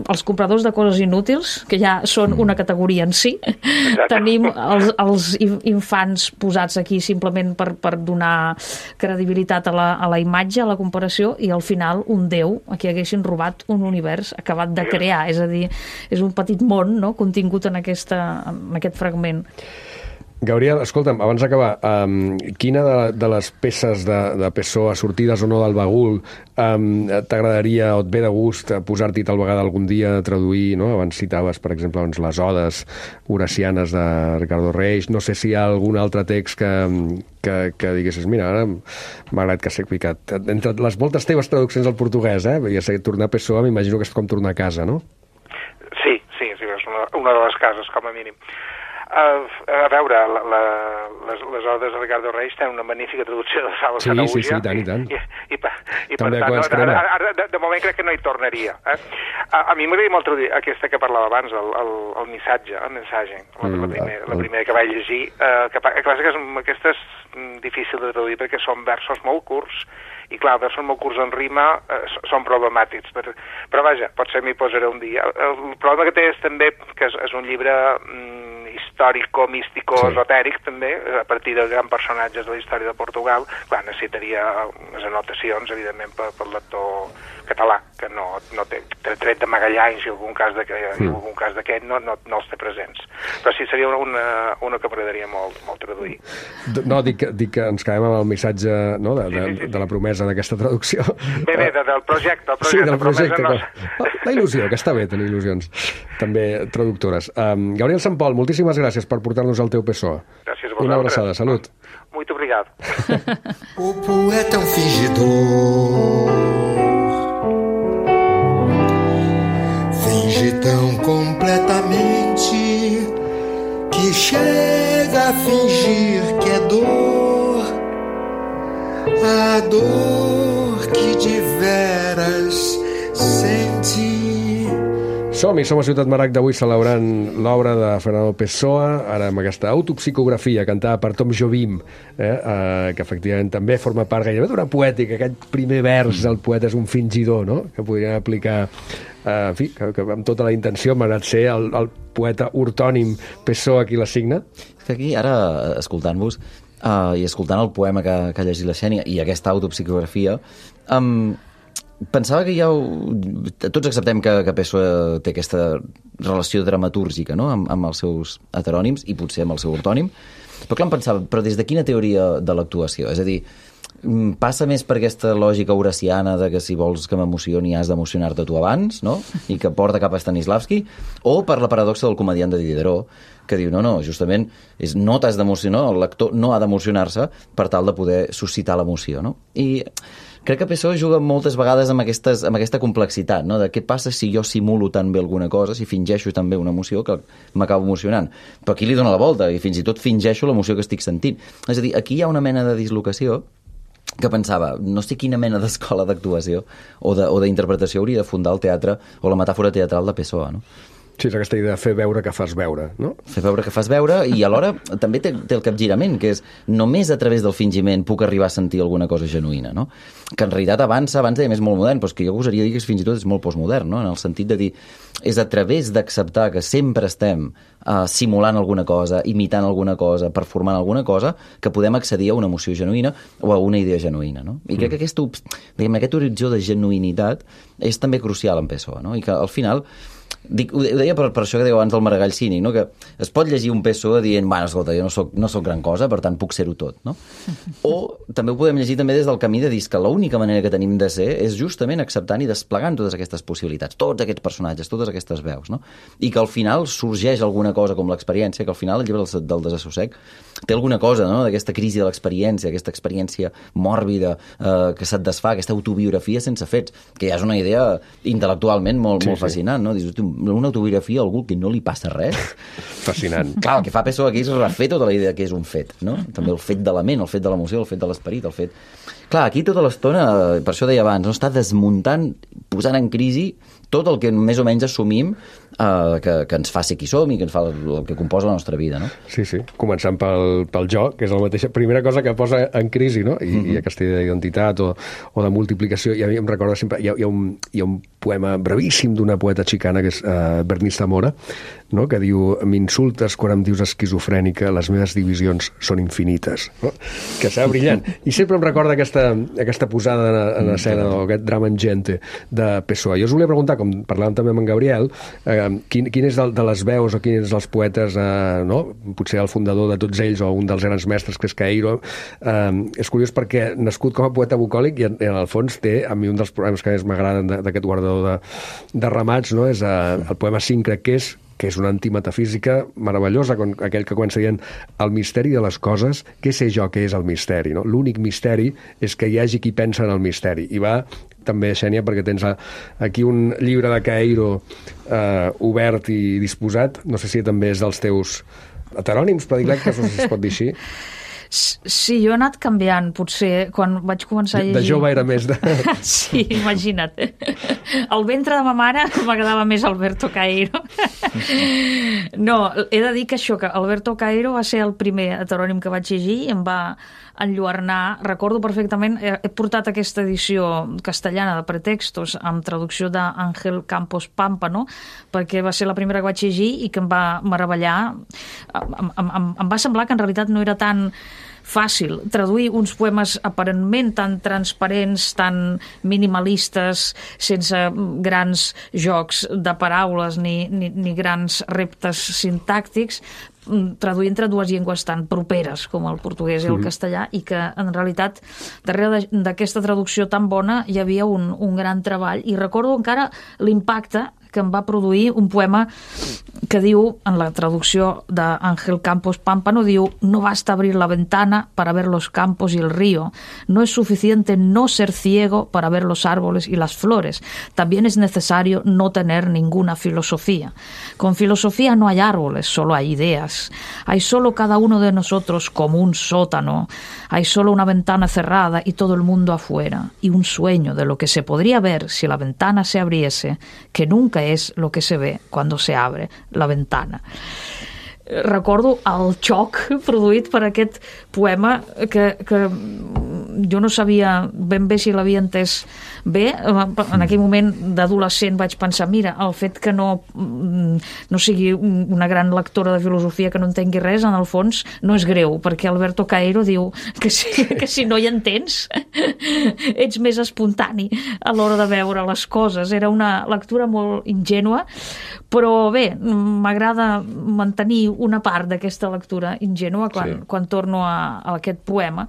[SPEAKER 8] els compradors de coses inútils, que ja són una categoria en si. Exacte. Tenim els, els infants posats aquí simplement per, per donar credibilitat a la, a la imatge, a la comparació, i al final un déu a qui haguessin robat un univers acabat de crear. És a dir, és un petit món, no?, contingut en, aquesta, en aquest fragment.
[SPEAKER 1] Gabriel, escolta'm, abans d'acabar, um, quina de, de les peces de, de Pessoa, sortides o no del bagul, um, t'agradaria o et ve de gust posar-t'hi tal vegada algun dia a traduir, no? Abans citaves, per exemple, doncs, les odes horacianes de Ricardo Reis. No sé si hi ha algun altre text que, que, que diguessis, mira, ara m'ha agradat que s'he picat. Entre les moltes teves traduccions al portuguès, eh? Ja sé, tornar a Pessoa m'imagino que és com tornar a casa, no?
[SPEAKER 9] Sí, sí, sí, és una, una de les cases, com a mínim. Uh, a veure, la, la, les, les odes de Ricardo Reis tenen una magnífica traducció de Salvo
[SPEAKER 1] sí,
[SPEAKER 9] Sanaúja.
[SPEAKER 1] Sí, sí, tant, i tant.
[SPEAKER 9] I, i, i, i per tant, no, ara, ara, de, de moment crec que no hi tornaria. Eh? A, a mi m'agradaria molt traduir aquesta que parlava abans, el, el, el missatge, el missatge, la, mm, la, primer, el, la primera que vaig llegir. Uh, que, que, que és, aquesta és difícil de traduir perquè són versos molt curts, i clar, versos molt curts en rima eh, són problemàtics, però, però vaja, potser m'hi posaré un dia. El, el problema que té és també que és, és un llibre mm, històrico-místico-esotèric, sí. també, a partir de grans personatges de la història de Portugal. Clar, necessitaria unes anotacions, evidentment, pel lector català, que no, no té, tret de Magallans i algun cas d'aquest mm. no, no, no els té presents. Però sí, seria una, una que m'agradaria molt, molt traduir.
[SPEAKER 1] No, dic, dic que ens quedem amb el missatge, no, de, de, sí, sí, sí. de la promesa d'aquesta traducció.
[SPEAKER 9] Bé, bé, de, del projecte. El projecte
[SPEAKER 1] sí, del projecte.
[SPEAKER 9] No...
[SPEAKER 1] La, la il·lusió, que està bé tenir il·lusions, també traductores. Um, Gabriel Sampol, moltíssimes gràcies per portar-nos al teu P S O E.
[SPEAKER 9] Gràcies a vosaltres.
[SPEAKER 1] Una abraçada, salut.
[SPEAKER 9] Muito obrigado.
[SPEAKER 10] O poeta é um fingidor, finge tão completamente que chega a fingir que é dor, a dor que de veras sente.
[SPEAKER 1] Som-hi, som a Ciutat Maragda avui celebrant l'obra de Fernando Pessoa, ara amb aquesta autopsicografia cantada per Tom Jobim, eh, eh, que efectivament també forma part gairebé d'una poètica. Aquest primer vers del poeta és un fingidor, no?, que podrien aplicar, eh, en fi, que, que amb tota la intenció, malgrat ser el, el poeta ortònim Pessoa qui la signa.
[SPEAKER 7] Que aquí, ara, escoltant-vos, uh, i escoltant el poema que, que ha llegit la Xènia i aquesta autopsicografia, um, pensava que ja ho... tots acceptem que, que Pessoa té aquesta relació dramatúrgica, no?, amb, amb els seus heterònims i potser amb el seu ortònim, però clar, em pensava, però des de quina teoria de l'actuació? És a dir, passa més per aquesta lògica horaciana de que si vols que m'emocioni has d'emocionar-te tu abans, no?, i que porta cap a Stanislavski, o per la paradoxa del comediant de Diderot, que diu, no, no, justament és, no t'has d'emocionar, el lector no ha d'emocionar-se per tal de poder suscitar l'emoció, no? I crec que Pessoa juga moltes vegades amb, aquestes, amb aquesta complexitat, no?, de què passa si jo simulo tan bé alguna cosa, si fingeixo tan bé una emoció que m'acabo emocionant. Però aquí li dona la volta i fins i tot fingeixo l'emoció que estic sentint. És a dir, aquí hi ha una mena de dislocació que pensava, no sé quina mena d'escola d'actuació o d'interpretació hauria de fundar el teatre o la metàfora teatral de Pessoa, no?
[SPEAKER 1] Sí, és aquesta idea de fer veure que fas veure, no?
[SPEAKER 7] Fer veure que fas veure i alhora també té, té el capgirament, que és només a través del fingiment puc arribar a sentir alguna cosa genuïna, no? Que en realitat avança, abans dèiem és molt modern, però és que jo gosaria dir que fins i tot és molt postmodern, no?, en el sentit de dir, és a través d'acceptar que sempre estem uh, simulant alguna cosa, imitant alguna cosa, performant alguna cosa, que podem accedir a una emoció genuïna o a una idea genuïna, no? I crec que aquest, diguem, aquest horitzó de genuïnitat és també crucial en Pessoa, no? I que al final Dic, ho deia per, per això que dèieu abans del Maragall cínic, no? Que es pot llegir un Pessoa dient, bueno, escolta, jo no soc, no soc gran cosa, per tant puc ser-ho tot, no? O també ho podem llegir també des del camí de dir que l'única manera que tenim de ser és justament acceptant i desplegant totes aquestes possibilitats, tots aquests personatges, totes aquestes veus, no? I que al final sorgeix alguna cosa com l'experiència, que al final el llibre del, del desassossec té alguna cosa, no?, d'aquesta crisi de l'experiència, aquesta experiència mòrbida eh, que se't desfà, aquesta autobiografia sense fets, que ja és una idea intel·lectualment molt, sí, molt fascinant, no? Dius, una autobiografia a algú que no li passa res.
[SPEAKER 1] Fascinant.
[SPEAKER 7] Clar, el que fa Pessoa aquí és refer tota la idea que és un fet, no? També el fet de la ment, el fet de l'emoció, el fet de l'esperit, el fet... Clar, aquí tota l'estona, per això deia abans, no, està desmuntant, posant en crisi tot el que més o menys assumim eh, que, que ens fa ser qui som i que ens fa el, el que composa la nostra vida, no?
[SPEAKER 1] Sí, sí, començant pel, pel jo, que és la mateixa primera cosa que posa en crisi, no? I, mm-hmm. i aquesta idea d'identitat o, o de multiplicació. I a mi em recorda sempre... Hi ha, hi ha, un, hi ha un poema brevíssim d'una poeta xicana que és uh, Bernice Zamora, no?, que diu, m'insultes quan em dius esquizofrènica, les meves divisions són infinites, no? Que serà brillant. I sempre em recorda aquesta, aquesta posada en, en escena, o aquest drama ingente de Pessoa. Jo us volia preguntar, com parlàvem també amb en Gabriel, eh, quin, quin és el, de les veus o quin és dels poetes, eh, no?, potser el fundador de tots ells o un dels grans mestres, que és Cairo. Eh, és curiós perquè nascut com a poeta bucòlic i en, en el fons té, a mi un dels poemes que més m'agraden d'aquest guardador de, de ramats, no?, és eh, el poema cinc, crec que és, que és una antimetafísica meravellosa, con aquell que comença dient el misteri de les coses, què sé jo què és el misteri, no? L'únic misteri és que hi hagi qui pensa en el misteri. I va també, Xènia, perquè tens aquí un llibre de Cairo eh, obert i disposat, no sé si també és dels teus heterònims predilectes, no sé si es pot dir així.
[SPEAKER 8] Sí, jo he anat canviant, potser, quan vaig començar a llegir...
[SPEAKER 1] De jove era més de...
[SPEAKER 8] Sí, imagina't. Al ventre de ma mare m'agradava més Alberto Caeiro. No, he de dir que això, que Alberto Caeiro va ser el primer heterònim que vaig llegir i em va enlluernar. Recordo perfectament, he, he portat aquesta edició castellana de Pretextos amb traducció d'Àngel Campos Pámpano, perquè va ser la primera que vaig llegir i que em va meravellar. Em, em, em, em va semblar que en realitat no era tan fàcil traduir uns poemes aparentment tan transparents, tan minimalistes, sense grans jocs de paraules ni, ni, ni grans reptes sintàctics, traduir entre dues llengües tan properes com el portuguès i el castellà, i que en realitat darrere d'aquesta traducció tan bona hi havia un, un gran treball, i recordo encara l'impacte que em va produir un poema que diu, en la traducció d'Àngel Campos Pámpano, diu: no basta abrir la ventana para ver los campos y el río, no es suficiente no ser ciego para ver los árboles y las flores, también es necesario no tener ninguna filosofía. Con filosofía no hay árboles, solo hay ideas. Hay solo cada uno de nosotros como un sótano, hay solo una ventana cerrada y todo el mundo afuera, y un sueño de lo que se podría ver si la ventana se abriese, que nunca és lo que se ve cuando se abre la ventana. Recordo el xoc produït per aquest poema que, que jo no sabia ben bé si l'havia entès bé. En aquell moment d'adolescent vaig pensar, mira, el fet que no, no sigui una gran lectora de filosofia, que no entengui res, en el fons no és greu, perquè Alberto Caeiro diu que si, que si no hi entens ets més espontani a l'hora de veure les coses. Era una lectura molt ingènua, però bé, m'agrada mantenir una part d'aquesta lectura ingènua quan, sí. quan torno a, a aquest poema.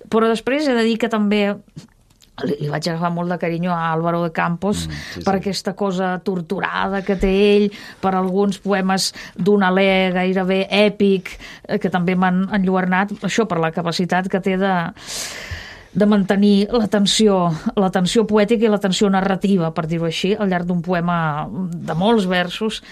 [SPEAKER 8] Però després he de dir que també li, li vaig agafar molt de carinyo a Álvaro de Campos, mm, sí, per sí. aquesta cosa torturada que té ell, per alguns poemes d'un alè gairebé èpic, que també m'han enlluernat, això per la capacitat que té de de mantenir la tensió, la tensió poètica i la tensió narrativa, per dir-ho així, al llarg d'un poema de molts versos,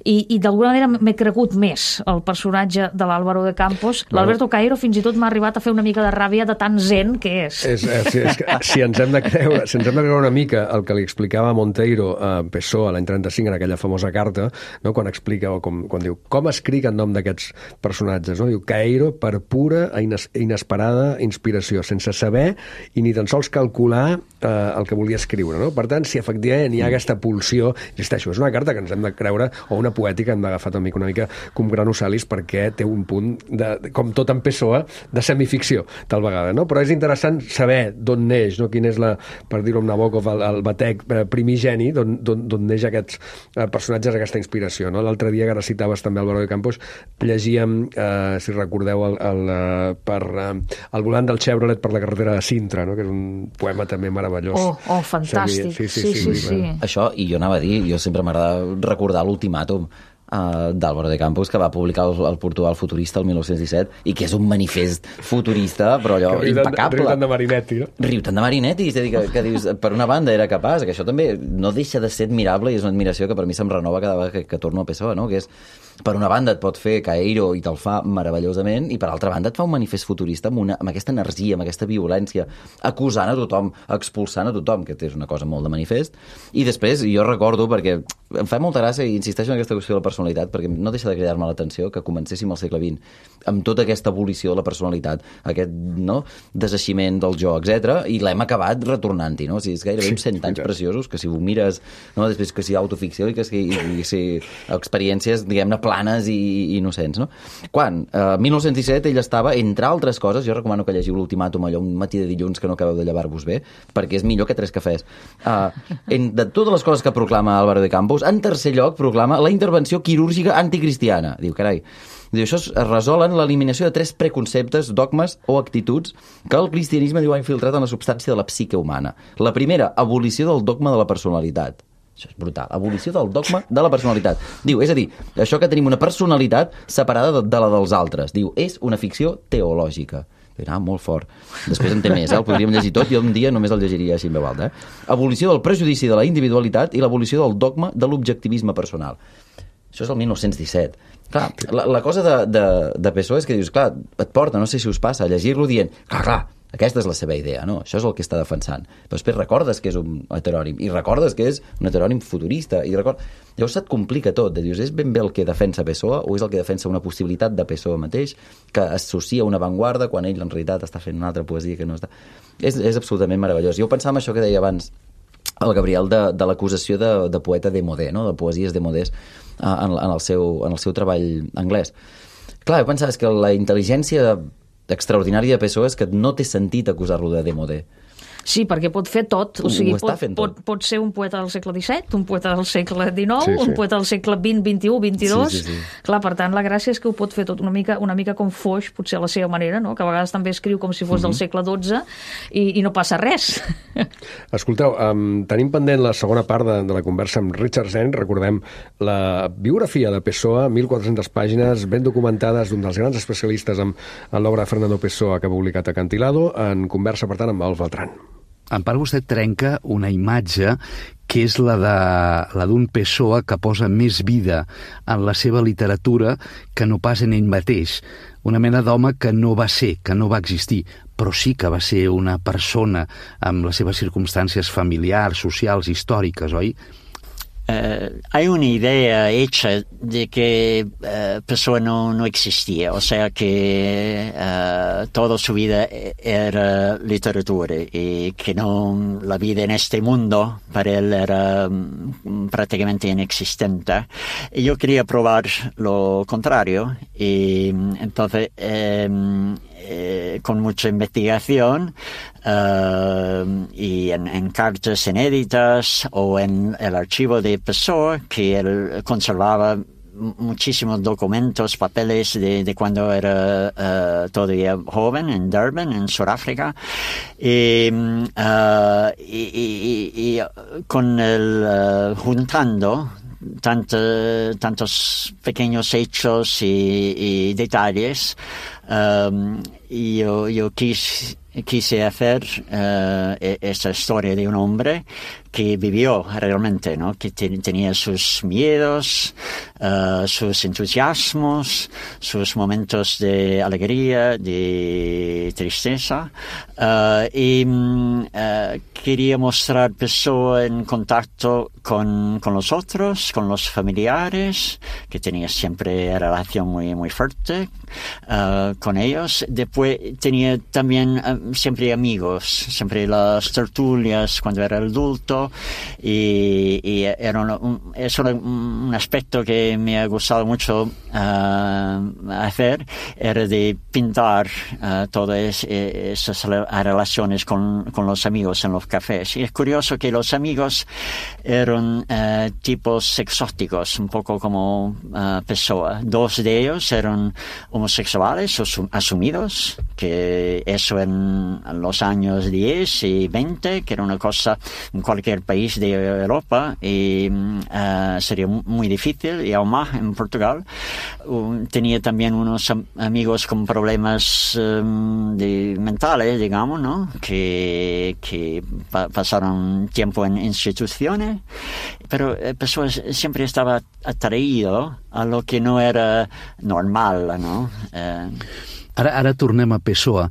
[SPEAKER 8] i, i d'alguna manera m'he cregut més el personatge de l'Álvaro de Campos. Bueno, l'Alberto Caeiro fins i tot m'ha arribat a fer una mica de ràbia de tan zen que és. és, és, és que, si ens hem de creure, si ens hem de creure una mica el que li explicava Monteiro a Pessoa l'any trenta-cinc en aquella famosa carta, no? quan explica, o com, quan diu, com escric en nom d'aquests personatges, no? Diu, Caeiro per pura i ines, inesperada inspiració, sense saber i ni tan sols calcular eh, el que volia escriure, no? Per tant, si efectivament hi ha aquesta pulsió, insisteixo, és una carta que ens hem de creure, o una poètica hem d'agafar una mica, una mica com Granosalis, perquè té un punt, de, com tot en Pessoa, de semificció, tal vegada, no? Però és interessant saber d'on neix, no? Quin és, la, per dir-ho amb Nabokov, el, el batec primigeni, d'on neix aquests eh, personatges, aquesta inspiració, no? L'altre dia, que ara citaves també Álvaro de Campos, llegíem, eh, si recordeu, el, el, el, per, eh, el volant del Chevrolet per la carretera de Sintra, no? Que és un poema també meravellós. Oh, oh fantàstic. Sí, sí, sí. sí, sí, sí, sí.
[SPEAKER 7] Això, i jo anava a dir, jo sempre m'agrada recordar l'ultimàtum uh, d'Álvaro de Campos, que va publicar el, el Portugal futurista el mil nou-cents disset, i que és un manifest futurista, però allò riu impecable.
[SPEAKER 1] Riu tant de Marinetti, no?
[SPEAKER 7] Riu tant de Marinetti, és a dir, que, que dius, per una banda era capaç, que això també no deixa de ser admirable, i és una admiració que per mi se'm renova cada vegada que, que torno a Pessoa, no? Que és, per una banda et pot fer Caeiro i te'l fa meravellosament, i per altra banda et fa un manifest futurista amb, una, amb aquesta energia, amb aquesta violència, acusant a tothom, expulsant a tothom, que és una cosa molt de manifest. I després, jo recordo, perquè em fa molta gràcia, i insisteixo en aquesta qüestió de la personalitat, perquè no deixa de cridar-me l'atenció que comencéssim al segle vint amb tota aquesta evolució de la personalitat, aquest, no, deseiximent del jo, etcètera, i l'hem acabat retornant-hi, no? O sigui, és gairebé uns cent anys preciosos, que si ho mires, no? Després que si autoficció i que si, i, si experiències, diguem-ne, planes i, i innocents, no? Quan, eh, mil nou-cents disset, ell estava, entre altres coses, jo recomano que llegiu l'ultimàtum allò un matí de dilluns que no acabeu de llevar-vos bé, perquè és millor que tres cafès. Eh, en, de totes les coses que proclama Álvaro de Campos, en tercer lloc proclama la intervenció quirúrgica anticristiana. Diu, carai, diu, això es resol en l'eliminació de tres preconceptes, dogmes o actituds que el cristianisme diu ha infiltrat en la substància de la psique humana. La primera, abolició del dogma de la personalitat. Això és brutal. Abolició del dogma de la personalitat. Diu, és a dir, això que tenim una personalitat separada de, de la dels altres. Diu, és una ficció teològica. Ah, molt fort. Després en té més, eh? El podríem llegir tot, jo un dia només el llegiria així en veu alta. Eh? Abolició del prejudici de la individualitat i l'abolició del dogma de l'objectivisme personal. Això és el mil nou-cents disset. Clar, la, la cosa de, de, de Pessoa és que dius, clar, et porta, no sé si us passa, a llegir-lo dient, clar, clar, aquesta és la seva idea, no? Això és el que està defensant. Però després recordes que és un heterònim, i recordes que és un heterònim futurista, i record... llavors se't complica tot, de dius, és ben bé el que defensa Pessoa o és el que defensa una possibilitat de Pessoa mateix, que associa una avantguarda quan ell en realitat està fent una altra poesia que no està... És, és absolutament meravellós. Jo pensava en això que deia abans el Gabriel de, de l'acusació de, de poeta démodé, no? De poesies démodés en, en, el seu, en el seu treball anglès. Clar, jo pensava que la intel·ligència extraordinària de Pessoa és que no té sentit acusar-lo de démodé.
[SPEAKER 8] Sí, perquè pot fer tot. O sigui,
[SPEAKER 7] ho està
[SPEAKER 8] pot,
[SPEAKER 7] fent
[SPEAKER 8] pot,
[SPEAKER 7] tot.
[SPEAKER 8] pot ser un poeta del segle disset, un poeta del segle dinou,
[SPEAKER 1] Sí, sí.
[SPEAKER 8] un poeta del segle vint, vint-i-u, vint-i-dos...
[SPEAKER 7] Sí, sí, sí.
[SPEAKER 8] Clar, per tant, la gràcia és que ho pot fer tot una mica, una mica com Foix, potser a la seva manera, no? Que a vegades també escriu com si fos del segle dotze i, i no passa res.
[SPEAKER 1] Escolteu, um, tenim pendent la segona part de, de la conversa amb Richard Zen. Recordem la biografia de Pessoa, mil quatre-centes pàgines, ben documentades, d'un dels grans especialistes en, en l'obra de Fernando Pessoa que ha publicat Acantilado, en conversa, per tant, amb Alf Beltrán.
[SPEAKER 5] En part, vostè trenca una imatge que és la de la d'un Pessoa que posa més vida en la seva literatura que no pas en ell mateix. Una mena d'home que no va ser, que no va existir, però sí que va ser una persona amb les seves circumstàncies familiars, socials, històriques, oi?
[SPEAKER 6] Uh, hay una idea hecha de que uh, Pessoa no, no existía, o sea que uh, toda su vida era literatura y que no, la vida en este mundo para él era um, prácticamente inexistente. Y yo quería probar lo contrario y entonces um, eh, con mucha investigación Uh, y en, en cartas inéditas o en el archivo de Pessoa, que él conservaba muchísimos documentos, papeles de, de cuando era uh, todavía joven en Durban, en Sudáfrica, y, uh, y, y, y con el uh, juntando tanto, tantos pequeños hechos y, y detalles, um, yo, yo quise quise hacer uh, esta historia de un hombre que vivió realmente, ¿no? Que te, tenía sus miedos, uh, sus entusiasmos, sus momentos de alegría, de tristeza, uh, y uh, quería mostrar Pessoa en contacto con, con los otros, con los familiares, que tenía siempre relación muy, muy fuerte uh, con ellos. Después tenía también uh, siempre amigos, siempre las tertulias cuando era adulto, y, y era un, es un, un aspecto que me ha gustado mucho uh, hacer, era de pintar uh, todas esas relaciones con, con los amigos en los cafés. Y es curioso que los amigos eran uh, tipos exóticos, un poco como uh, Pessoa. Dos de ellos eran homosexuales asumidos, que eso en los años diez y veinte, que era una cosa en cualquier país de Europa, y uh, sería muy difícil, y aún más en Portugal. Uh, tenía también unos am amigos con problemas um, de mentales, digamos, ¿no? Que, que pa pasaron tiempo en instituciones, pero eh, Pessoa siempre estaba atraído a lo que no era normal, ¿no? Uh,
[SPEAKER 5] Ara, ara tornem a Pessoa,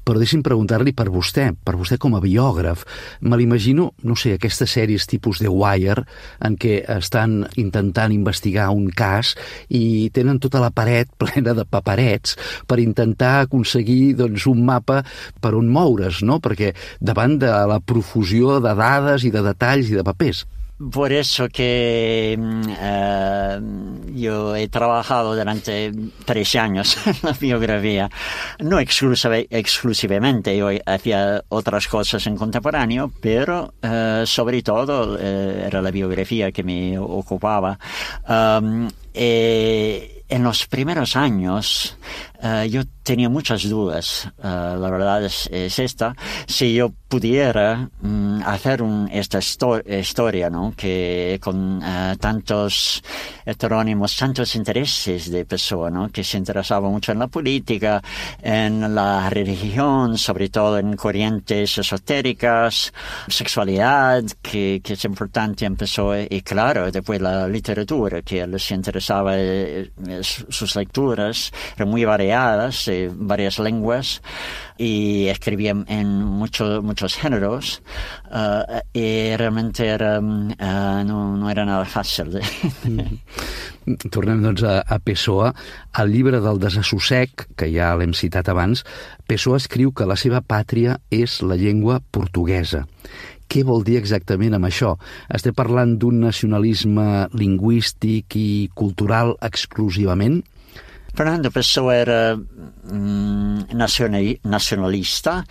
[SPEAKER 5] però deixi'm preguntar-li per vostè, per vostè com a biògraf. Me l'imagino, no sé, aquestes sèries tipus The Wire, en què estan intentant investigar un cas i tenen tota la paret plena de paperets per intentar aconseguir doncs, un mapa per on moure's, no? Perquè davant de la profusió de dades i de detalls i de papers.
[SPEAKER 6] Por eso que uh, yo he trabajado durante tres años en la biografía, no exclusive, exclusivamente, yo hacía otras cosas en contemporáneo, pero uh, sobre todo uh, era la biografía que me ocupaba. Um, eh, en los primeros años uh, yo tenía muchas dudas, uh, la verdad es, es esta, si yo pudiera um, hacer un, esta histo- historia, ¿no? Que con uh, tantos heterónimos, tantos intereses de Pessoa, ¿no? Que se interesaba mucho en la política, en la religión, sobre todo en corrientes esotéricas, sexualidad, que, que es importante en Pessoa, y claro, después la literatura, que les interesaba, eh, sus lecturas eran muy variadas, eh, varias lenguas, y escribía en mucho, muchos géneros, uh, y realmente era, uh, no, no era nada fàcil.
[SPEAKER 5] Tornem, doncs, a, a Pessoa. Al llibre del Desassossec, que ja l'hem citat abans, Pessoa escriu que la seva pàtria és la llengua portuguesa. Què vol dir exactament amb això? Estem parlant d'un nacionalisme lingüístic i cultural exclusivament?
[SPEAKER 6] Fernando Pessoa era mm, nacionalista.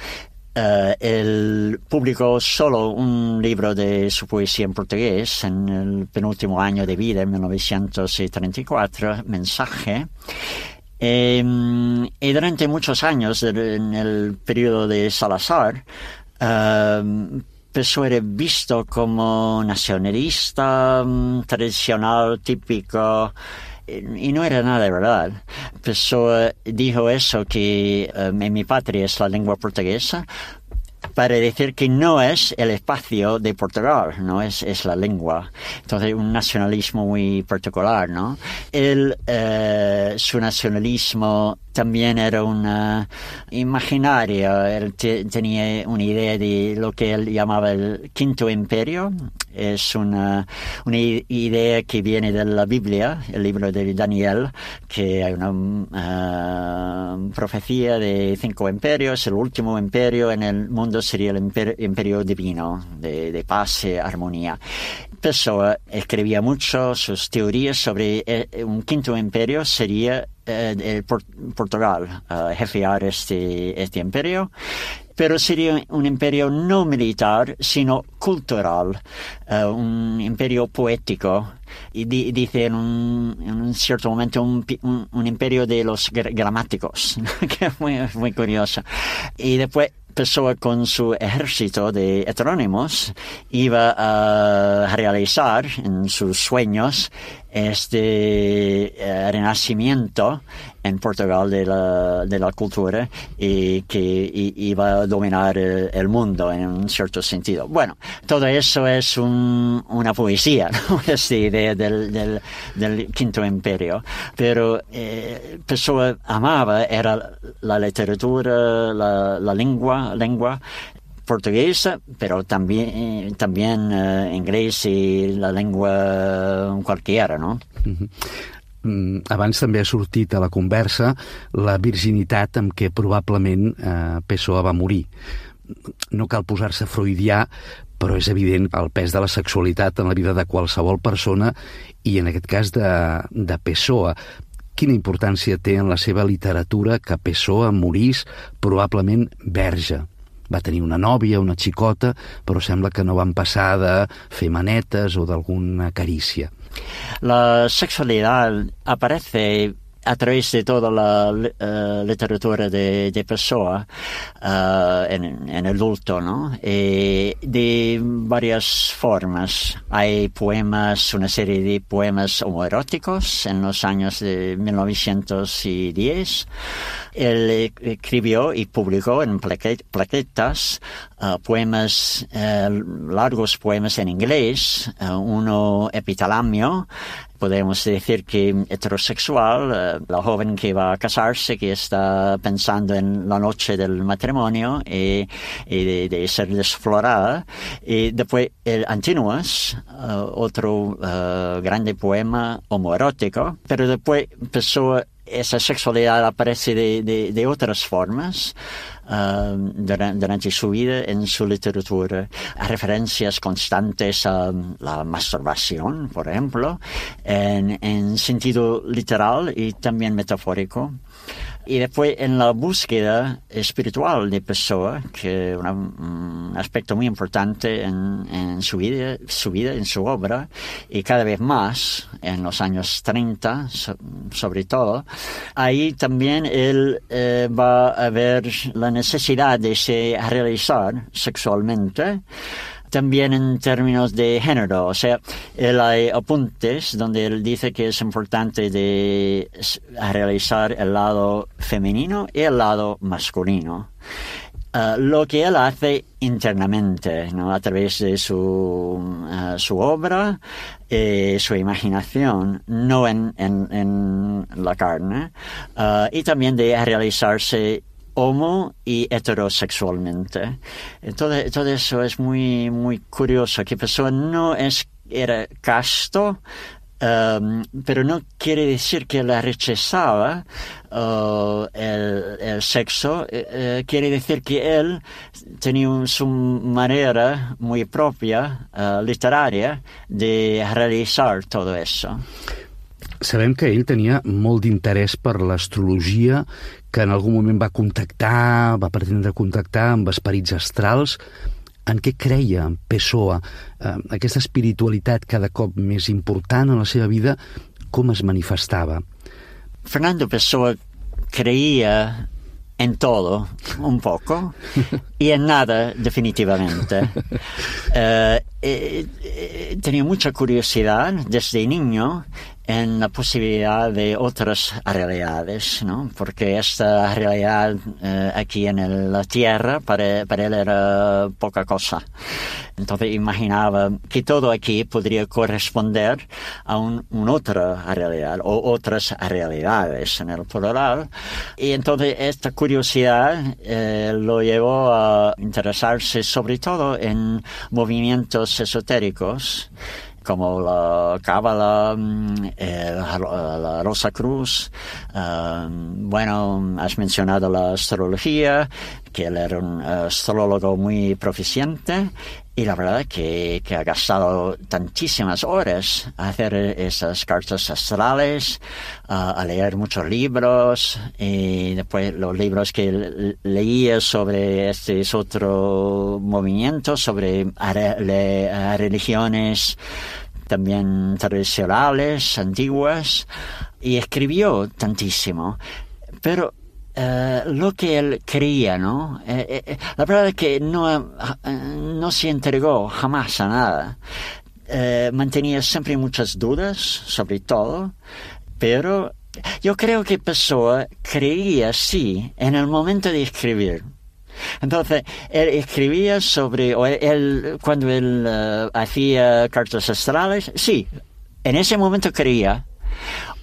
[SPEAKER 6] Uh, él publicó solo un libro de su poesía en portugués en el penúltimo año de vida, en mil novecientos treinta y cuatro, Mensaje. Eh, y durante muchos años, en el periodo de Salazar, uh, Pessoa era visto como nacionalista, tradicional, típico, y no era nada de verdad. Pessoa dijo eso, que um, en mi patria es la lengua portuguesa, para decir que no es el espacio de Portugal, no es, es la lengua. Entonces, un nacionalismo muy particular, ¿no? Él, eh, su nacionalismo también era una imaginario. Él te, tenía una idea de lo que él llamaba el Quinto Imperio. Es una, una idea que viene de la Biblia, el libro de Daniel, que hay una uh, profecía de cinco imperios. El último imperio en el mundo sería el imperio, imperio divino, de, de paz y armonía. Pessoa escribía mucho sus teorías sobre eh, un quinto imperio sería eh, el Port- Portugal, uh, jefear este, este imperio. Pero sería un imperio no militar, sino cultural, uh, un imperio poético. Y di- dice en un, en un cierto momento un, un, un imperio de los gr- gramáticos, que es muy, muy curioso. Y después Pessoa, con su ejército de heterónimos, iba a realizar en sus sueños este uh, renacimiento en Portugal de la, de la cultura, y que y, iba a dominar el, el mundo en un cierto sentido. Bueno, todo eso es un, una poesía, ¿no? Esta idea del, del, del Quinto Imperio. Pero eh, Pessoa amaba era la literatura, la, la lengua, lengua portuguesa, pero también, también uh, inglés i la lengua qualquiera, no?
[SPEAKER 5] Mm-hmm. Mm, abans també ha sortit a la conversa la virginitat amb què probablement eh, Pessoa va morir. No cal posar-se freudià, però és evident el pes de la sexualitat en la vida de qualsevol persona, i en aquest cas de, de Pessoa. Quina importància té en la seva literatura que Pessoa morís probablement verge? Va tenir una nòvia, una xicota, però sembla que no van passar de fer manetes o d'alguna carícia.
[SPEAKER 6] La sexualidad aparece a través de toda la uh, literatura de, de Pessoa uh, en, en adulto, ¿no? Y de varias formas. Hay poemas, una serie de poemas homoeróticos en los años de mil novecientos diez. Él escribió y publicó en plaquetas uh, poemas, uh, largos poemas en inglés, uh, uno epitalamio. Podemos decir que heterosexual, uh, la joven que va a casarse, que está pensando en la noche del matrimonio y, y de, de ser desflorada. Y después el Antinuas, uh, otro uh, grande poema homoerótico, pero después empezó esa sexualidad aparece de, de, de otras formas uh, durante, durante su vida en su literatura. Referencias constantes a la masturbación, por ejemplo, en, en sentido literal y también metafórico. Y después en la búsqueda espiritual de Pessoa, que es un aspecto muy importante en, en su vida, su vida, en su obra, y cada vez más en los años treinta, so, sobre todo, ahí también él eh, va a ver la necesidad de se realizar sexualmente, también en términos de género. O sea, él hay apuntes donde él dice que es importante de realizar el lado femenino y el lado masculino. Uh, lo que él hace internamente, ¿no? A través de su, uh, su obra, eh, su imaginación, no en, en, en la carne, uh, y también de realizarse homo y heterosexualmente. Entonces, todo eso es muy, muy curioso, que Pessoa no es, era casto, um, pero no quiere decir que la rechazaba uh, el, el sexo, uh, quiere decir que él tenía un, su manera muy propia, uh, literaria, de realizar todo eso.
[SPEAKER 5] Sabem que ell tenia molt d'interès per l'astrologia, que en algun moment va contactar, va pretendre contactar amb esperits astrals. En què creia Pessoa? Eh, aquesta espiritualitat cada cop més important en la seva vida, com es manifestava?
[SPEAKER 6] Fernando Pessoa creía en todo, un poco, y en nada, definitivamente. Eh, eh, eh, tenía mucha curiosidad desde niño en la posibilidad de otras realidades, ¿no? Porque esta realidad eh, aquí en el, la Tierra para, para él era poca cosa. Entonces imaginaba que todo aquí podría corresponder a un, una otra realidad o otras realidades en el plural. Y entonces esta curiosidad eh, lo llevó a interesarse sobre todo en movimientos esotéricos, como la Cábala, eh, la Rosa Cruz. Uh, bueno, has mencionado la astrología, que él era un astrólogo muy proficiente, y la verdad que, que ha gastado tantísimas horas a hacer esas cartas astrales, uh, a leer muchos libros, y después los libros que leía sobre este otro movimiento, sobre a religiones también tradicionales, antiguas, y escribió tantísimo. Pero Uh, lo que él creía, ¿no? Eh, eh, la verdad es que no, uh, no se entregó jamás a nada. Uh, mantenía siempre muchas dudas, sobre todo, pero yo creo que Pessoa creía, sí, en el momento de escribir. Entonces, él escribía sobre, o él, cuando él uh, hacía cartas astrales, sí, en ese momento creía.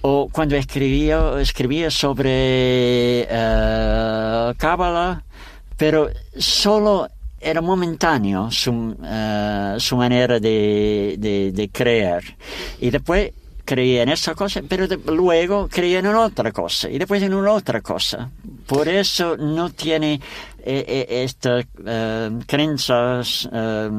[SPEAKER 6] O cuando escribía, escribía sobre uh, Cábala, pero solo era momentáneo su, uh, su manera de, de, de creer. Y después creía en esa cosa, pero de, luego creía en otra cosa, y después en una otra cosa. Por eso no tiene eh, eh, estas uh, creencias uh,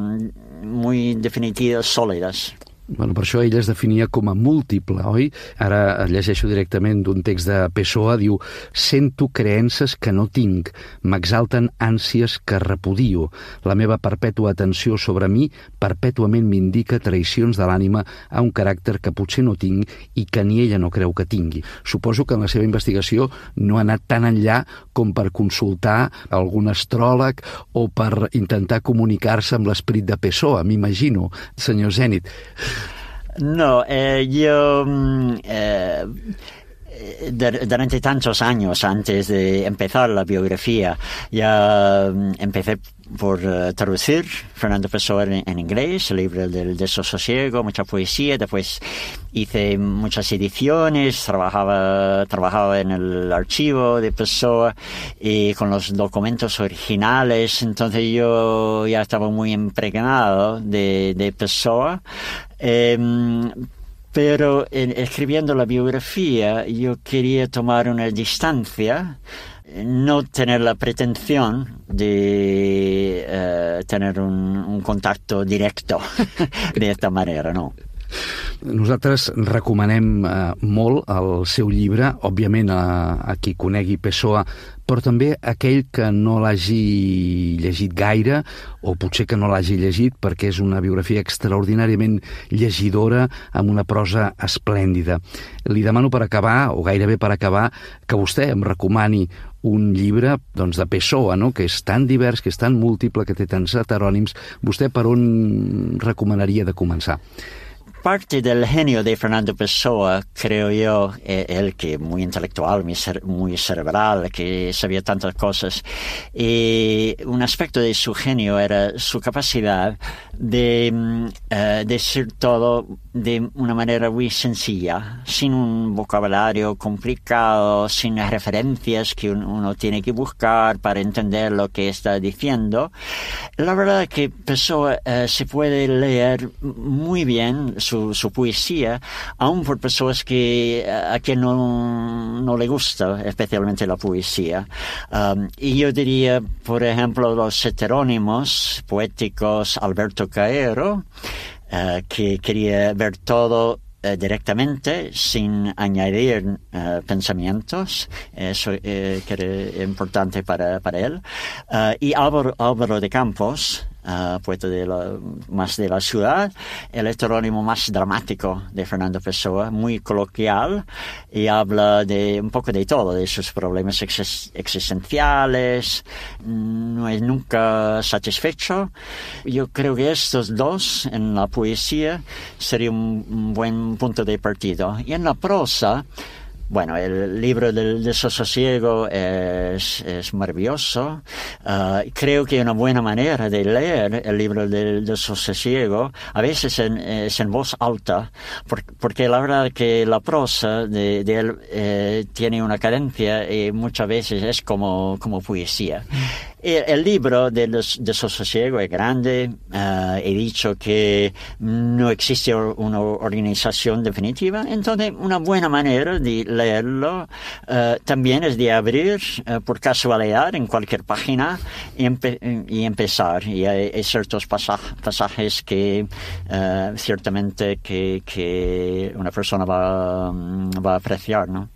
[SPEAKER 6] muy definitivas, sólidas.
[SPEAKER 5] Bueno, per això ell es definia com a múltiple, oi? Ara llegeixo directament d'un text de Pessoa, diu: «Sento creences que no tinc, m'exalten ànsies que repudio. La meva perpètua atenció sobre mi perpètuament m'indica traïcions de l'ànima a un caràcter que potser no tinc i que ni ella no creu que tingui». Suposo que en la seva investigació no ha anat tan enllà com per consultar algun astròleg o per intentar comunicar-se amb l'esperit de Pessoa, m'imagino, senyor Zenit.
[SPEAKER 6] No, eh, yo eh, durante tantos años antes de empezar la biografía ya empecé por uh, traducir Fernando Pessoa en, en inglés, el libro del desasosiego, mucha poesía. Después hice muchas ediciones, trabajaba, trabajaba en el archivo de Pessoa y con los documentos originales. Entonces yo ya estaba muy impregnado de, de Pessoa. Eh, pero en, escribiendo la biografía yo quería tomar una distancia, no tener la pretensión de uh, tener un, un contacto directo de esta manera, no.
[SPEAKER 5] Nosaltres recomanem eh, molt el seu llibre, òbviament a, a qui conegui Pessoa, però també aquell que no l'hagi llegit gaire, o potser que no l'hagi llegit perquè és una biografia extraordinàriament llegidora, amb una prosa esplèndida. Li demano per acabar, o gairebé per acabar, que vostè em recomani un llibre doncs, de Pessoa, no? Que és tan divers, que és tan múltiple, que té tants heterònims. Vostè per on recomanaria de començar?
[SPEAKER 6] Parte del genio de Fernando Pessoa, creo yo, es el que muy intelectual, muy, cere- muy cerebral, que sabía tantas cosas. Y un aspecto de su genio era su capacidad de uh, decir todo de una manera muy sencilla, sin un vocabulario complicado, sin referencias que un, uno tiene que buscar para entender lo que está diciendo. La verdad es que Pessoa uh, se puede leer muy bien su Su, su poesía, aún por personas que a quien no, no le gusta especialmente la poesía. Um, y yo diría, por ejemplo, los heterónimos poéticos Alberto Caero, uh, que quería ver todo Uh, directamente, sin añadir uh, pensamientos, eso uh, que era importante para, para él. Uh, y Álvaro, Álvaro de Campos, uh, poeta de la, más de la ciudad, el heterónimo más dramático de Fernando Pessoa, muy coloquial, y habla de un poco de todo, de sus problemas ex- existenciales, no es nunca satisfecho. Yo creo que estos dos, en la poesía, sería un, un buen punto de partida. Y en la prosa, bueno, el libro del desasosiego es, es maravilloso. Uh, creo que una buena manera de leer el libro del desasosiego a veces en, es en voz alta, por, porque la verdad que la prosa de, de él eh, tiene una cadencia y muchas veces es como, como poesía. El, el libro del desasosiego es grande. Uh, he dicho que no existe una organización definitiva, entonces una buena manera de leerlo uh, también es de abrir uh, por casualidad en cualquier página y, empe- y empezar. Y hay, hay ciertos pasaj- pasajes que uh, ciertamente que, que una persona va, va a apreciar, ¿no?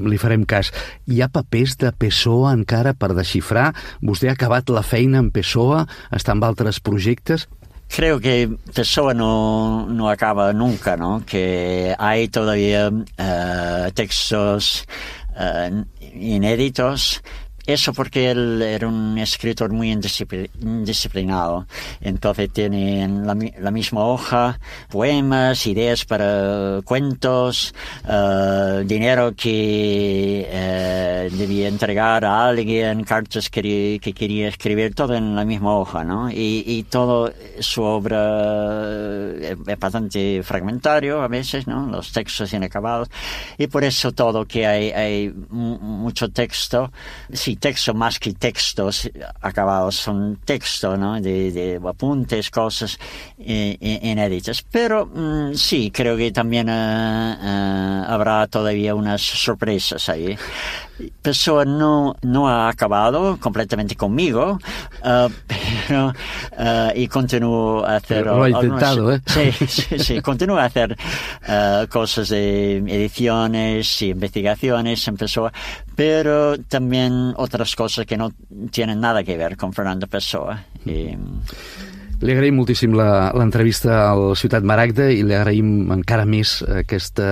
[SPEAKER 5] Li farem cas. Hi ha papers de Pessoa encara per desxifrar? Vostè ha acabat la feina en Pessoa? Està amb altres projectes?
[SPEAKER 6] Creo que Pessoa no, no acaba nunca, ¿no? Que hay todavía uh, textos uh, inéditos. Eso porque él era un escritor muy indiscipl- indisciplinado. Entonces tiene en la, la misma hoja poemas, ideas para cuentos, uh, dinero que uh, debía entregar a alguien, cartas que, que quería escribir, todo en la misma hoja, ¿no? Y, y todo su obra es, es bastante fragmentario a veces, ¿no? Los textos inacabados. Y por eso todo que hay, hay m- mucho texto, sí, texto más que textos acabados, son textos, ¿no? De, de apuntes, cosas eh, inéditas. Pero mm, sí, creo que también uh, uh, habrá todavía unas sorpresas ahí. Pessoa no, no ha acabado completamente conmigo, uh, pero uh, y continúo a hacer...
[SPEAKER 5] Lo ha intentado,
[SPEAKER 6] algunas,
[SPEAKER 5] ¿eh?
[SPEAKER 6] Sí, sí, sí, continúo a hacer uh, cosas de ediciones y investigaciones en Pessoa, pero también otras cosas que no tienen nada que ver con Fernando Pessoa. Y,
[SPEAKER 5] Li agraïm moltíssim la- l'entrevista al Ciutat Maragda i li agraïm encara més aquesta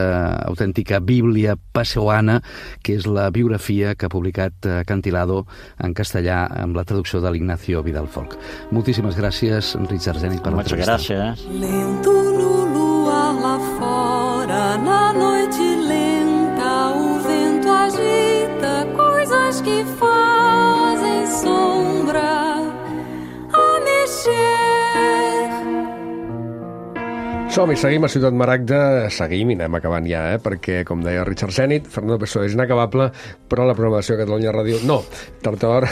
[SPEAKER 5] autèntica bíblia pessoana, que és la biografia que ha publicat eh, Cantilado en castellà amb la traducció de l'Ignacio Vidal Folk. Moltíssimes gràcies, Enric Arzènic, per
[SPEAKER 6] muchas
[SPEAKER 5] l'entrevista.
[SPEAKER 6] gracias.
[SPEAKER 3] Lento no luar lá fora, na noite lenta, o vento agita coisas que fazem sombra a mexer.
[SPEAKER 1] Som-hi, seguim a Ciutat Maragda, seguim i anem acabant ja, eh? Perquè, com deia Richard Zenit, Fernando Pessoa és inacabable, però la programació de Catalunya Ràdio no. Tard o d'hora,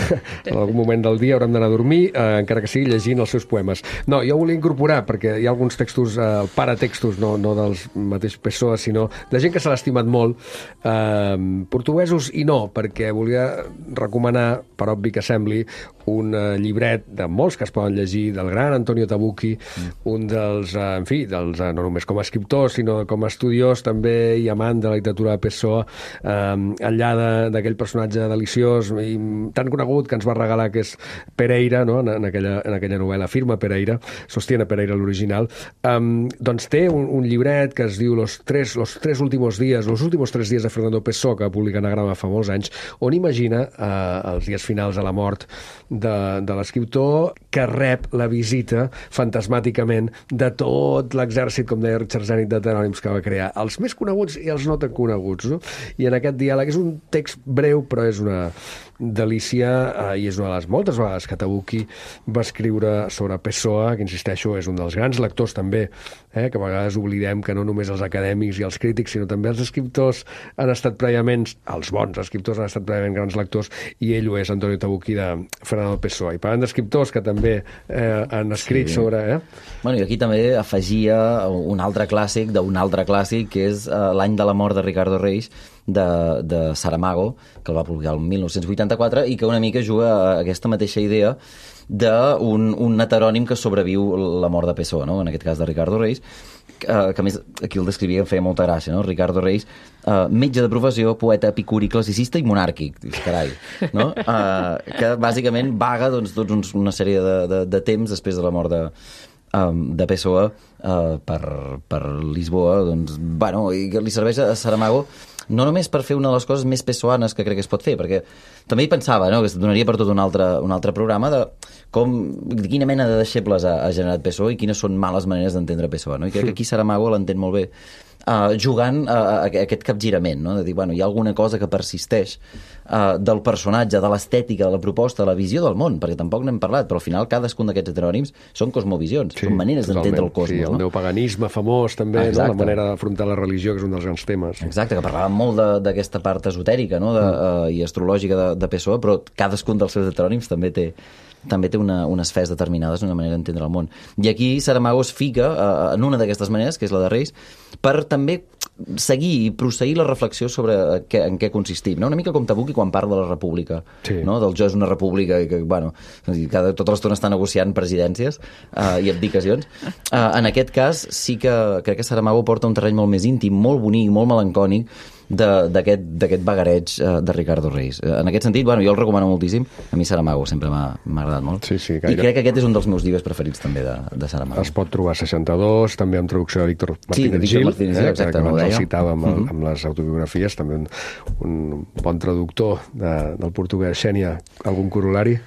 [SPEAKER 1] en algun moment del dia haurem d'anar a dormir, eh, encara que sigui llegint els seus poemes. No, jo volia incorporar, perquè hi ha alguns textos, eh, paratextos, no, no dels mateix Pessoa, sinó de gent que se l'ha estimat molt, eh, portuguesos i no, perquè volia recomanar, per obvi que sembli, un eh, llibret de molts que es poden llegir, del gran Antonio Tabucchi, mm. un dels, eh, en fi, dels dels, no només com a escriptor, sinó com a estudiós també i amant de la literatura de Pessoa, eh, enllà d'aquell personatge deliciós i tan conegut que ens va regalar, que és Pereira, no? en, en, aquella, en aquella novel·la Firma Pereira, Sostiene Pereira l'original, um, doncs té un, un llibret que es diu Los tres, los tres últimos días, los últimos tres días de Fernando Pessoa, que va publicar Anagrama fa molts anys, on imagina uh, els dies finals de la mort de, de l'escriptor, que rep la visita fantasmàticament de tot l'exèrcit, com deia Richard Zenit, d'heterònims que va crear, els més coneguts i els no tan coneguts, no? I en aquest diàleg és un text breu, però és una delícia, eh, i és una de les moltes vegades que Tabucchi va escriure sobre Pessoa, que insisteixo, és un dels grans lectors també, eh, que a vegades oblidem que no només els acadèmics i els crítics, sinó també els escriptors han estat prèviament, els bons escriptors han estat prèviament grans lectors, i ell ho és, Antonio Tabucchi, de Fernando Pessoa. I parlant d'escriptors que també eh, han escrit sí. sobre... Eh?
[SPEAKER 7] Bueno, i aquí també afegia un altre clàssic d'un altre clàssic, que és uh, L'any de la mort de Ricardo Reis, de, de Saramago, que el va publicar el mil nou-cents vuitanta-quatre, i que una mica juga a aquesta mateixa idea d'un un heterònim que sobreviu la mort de Pessoa, no? En aquest cas de Ricardo Reis, que, que a més aquí el descrivia, em feia molta gràcia, no? Ricardo Reis, uh, metge de professió, poeta epicúric, classicista i monàrquic, carai, no? Uh, que bàsicament vaga doncs, tots uns, una sèrie de, de, de temps després de la mort de, um, de Pessoa uh, per, per Lisboa, doncs, bueno, i que li serveix a Saramago no només per fer una de les coses més pessoanes que crec que es pot fer, perquè també hi pensava, no?, que es donaria per tot un altre, un altre programa de com, de quina mena de deixebles ha, ha generat Pessoa i quines són males maneres d'entendre Pessoa, no? I crec que aquí Saramago l'entén molt bé, uh, jugant a, a, a aquest capgirament, no?, de dir, bueno, hi ha alguna cosa que persisteix uh, del personatge, de l'estètica, de la proposta, de la visió del món, perquè tampoc n'hem parlat, però al final cadascun d'aquests heterònims són cosmovisions, sí, són maneres d'entendre el cosmos.
[SPEAKER 1] Sí, el
[SPEAKER 7] no?
[SPEAKER 1] neopaganisme famós també, no? La manera d'afrontar la religió, que és un dels grans temes.
[SPEAKER 7] Exacte, que parlàvem molt d'aquesta part esotèrica, no?, de, uh, i astrològica de, de Pessoa, però cadascun dels seus heterònims també té també té una, unes fes determinades, una manera d'entendre el món. I aquí Saramago es fica uh, en una d'aquestes maneres, que és la de Reis, per també seguir i prosseguir la reflexió sobre què, en què consistim, no? Una mica com Tabucchi quan parla de la república, sí. no? Del jo és una república i que, bueno, cada, tota l'estona està negociant presidències uh, i abdicacions. Uh, en aquest cas sí que crec que Saramago porta un terreny molt més íntim, molt bonic, molt melancònic, d'aquest vagareig uh, de Ricardo Reis. Uh, en aquest sentit, bueno, jo el recomano moltíssim. A mi Saramago sempre m'ha agradat molt.
[SPEAKER 1] Sí, sí,
[SPEAKER 7] I crec que aquest és un dels meus llibres preferits també de, de Saramago.
[SPEAKER 1] Es pot trobar a seixanta-dos, també amb traducció de Víctor Martínez
[SPEAKER 7] sí,
[SPEAKER 1] Gil,
[SPEAKER 7] Martínez Gil,
[SPEAKER 1] eh,
[SPEAKER 7] exacte,
[SPEAKER 1] que
[SPEAKER 7] no
[SPEAKER 1] el citava amb,
[SPEAKER 7] uh-huh.
[SPEAKER 1] amb les autobiografies, també un, un bon traductor de, del portuguès. Xènia, algun corol·lari?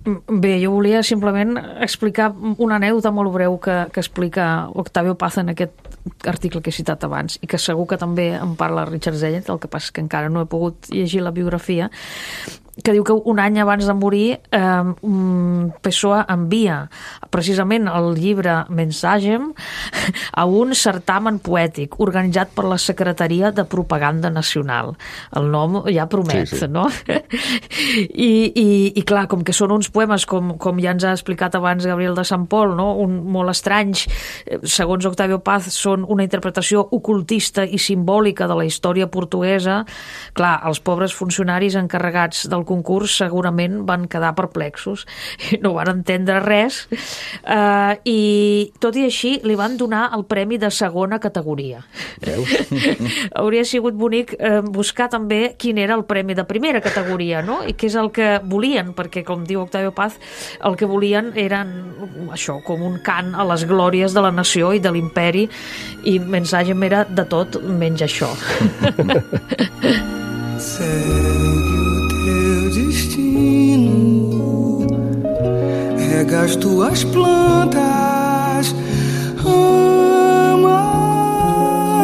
[SPEAKER 8] Bé, jo volia simplement explicar una anècdota molt breu que, que explica Octavio Paz en aquest article que he citat abans i que segur que també en parla Richard Zenit, el que passa que encara no he pogut llegir la biografia, que diu que un any abans de morir eh, Pessoa envia precisament el llibre Mensagem a un certamen poètic organitzat per la Secretaria de Propaganda Nacional. El nom ja promet, sí, sí. no? I, i, i clar, com que són uns poemes, com, com ja ens ha explicat abans Gabriel de Sant Pol, no? Un, molt estranys, segons Octavio Paz, són una interpretació ocultista i simbòlica de la història portuguesa. Clar, els pobres funcionaris encarregats del concurs segurament van quedar perplexos, no van entendre res, uh, i tot i així li van donar el premi de segona categoria. Hauria sigut bonic uh, buscar també quin era el premi de primera categoria, no? I què és el que volien, perquè com diu Octavio Paz, el que volien eren això, com un cant a les glòries de la nació i de l'imperi, i Mensagem era de tot menys això.
[SPEAKER 10] Destino, rega as tuas plantas, ama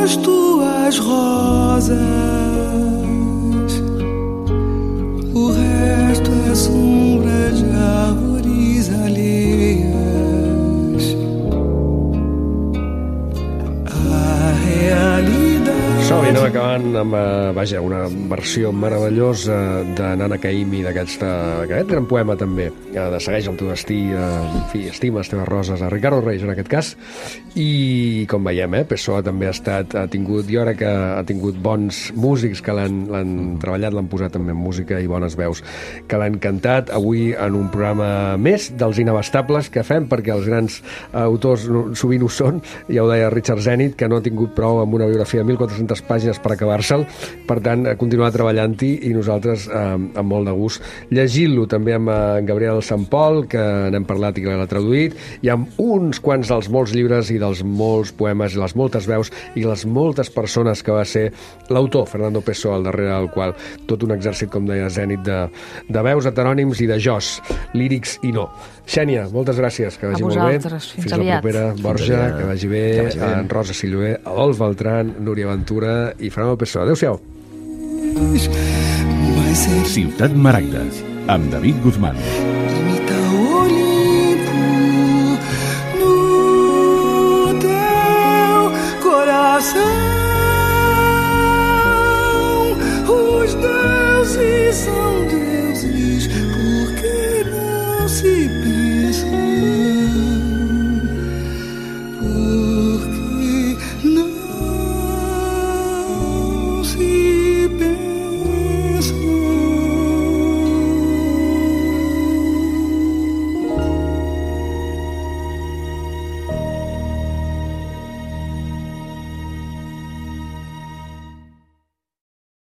[SPEAKER 10] as tuas rosas, o resto é sombra de árvores alheias. A realidade.
[SPEAKER 1] Som i anem acabant Guzmán amb, uh, vaja, una versió meravellosa de Nana Caymmi, d'aquest gran poema també, uh, de Segueix el teu destí, uh, en fi, Estima les teves roses, a Ricardo Reis en aquest cas, i com veiem, eh, Pessoa també ha estat, ha tingut, jo crec que ha tingut bons músics que l'han treballat, l'han posat també en música i bones veus que l'han cantat. Avui en un programa més dels inabastables que fem, perquè els grans autors sovint ho són, ja ho deia Richard Zenit, que no ha tingut prou amb una biografia de mil quatre-centes pàgines per acabar-se'l, per tant, continuar treballant-hi i nosaltres eh, amb molt de gust llegint-lo, també amb en Gabriel Sant Pol, que n'hem parlat i que l'ha traduït, i amb uns quants dels molts llibres i dels molts poemes i les moltes veus i les moltes persones que va ser l'autor, Fernando Pessoa, al darrere del qual tot un exèrcit, com deia Zenit, de, de veus, heterònims i de jos, lírics i no. Xènia, moltes gràcies, que vagi molt bé.
[SPEAKER 8] Fins,
[SPEAKER 1] Fins la propera. Borja,
[SPEAKER 7] Fins
[SPEAKER 1] que vagi bé. Que vagi bé. En Rosa Silloé, Adolf Beltrán, Núria Ventura i Fernando Pessoa. Adéu-siau.
[SPEAKER 2] Ciutat Maragda, amb David Guzmán.
[SPEAKER 10] Imita o Olimpo no teu coração. Os deuses são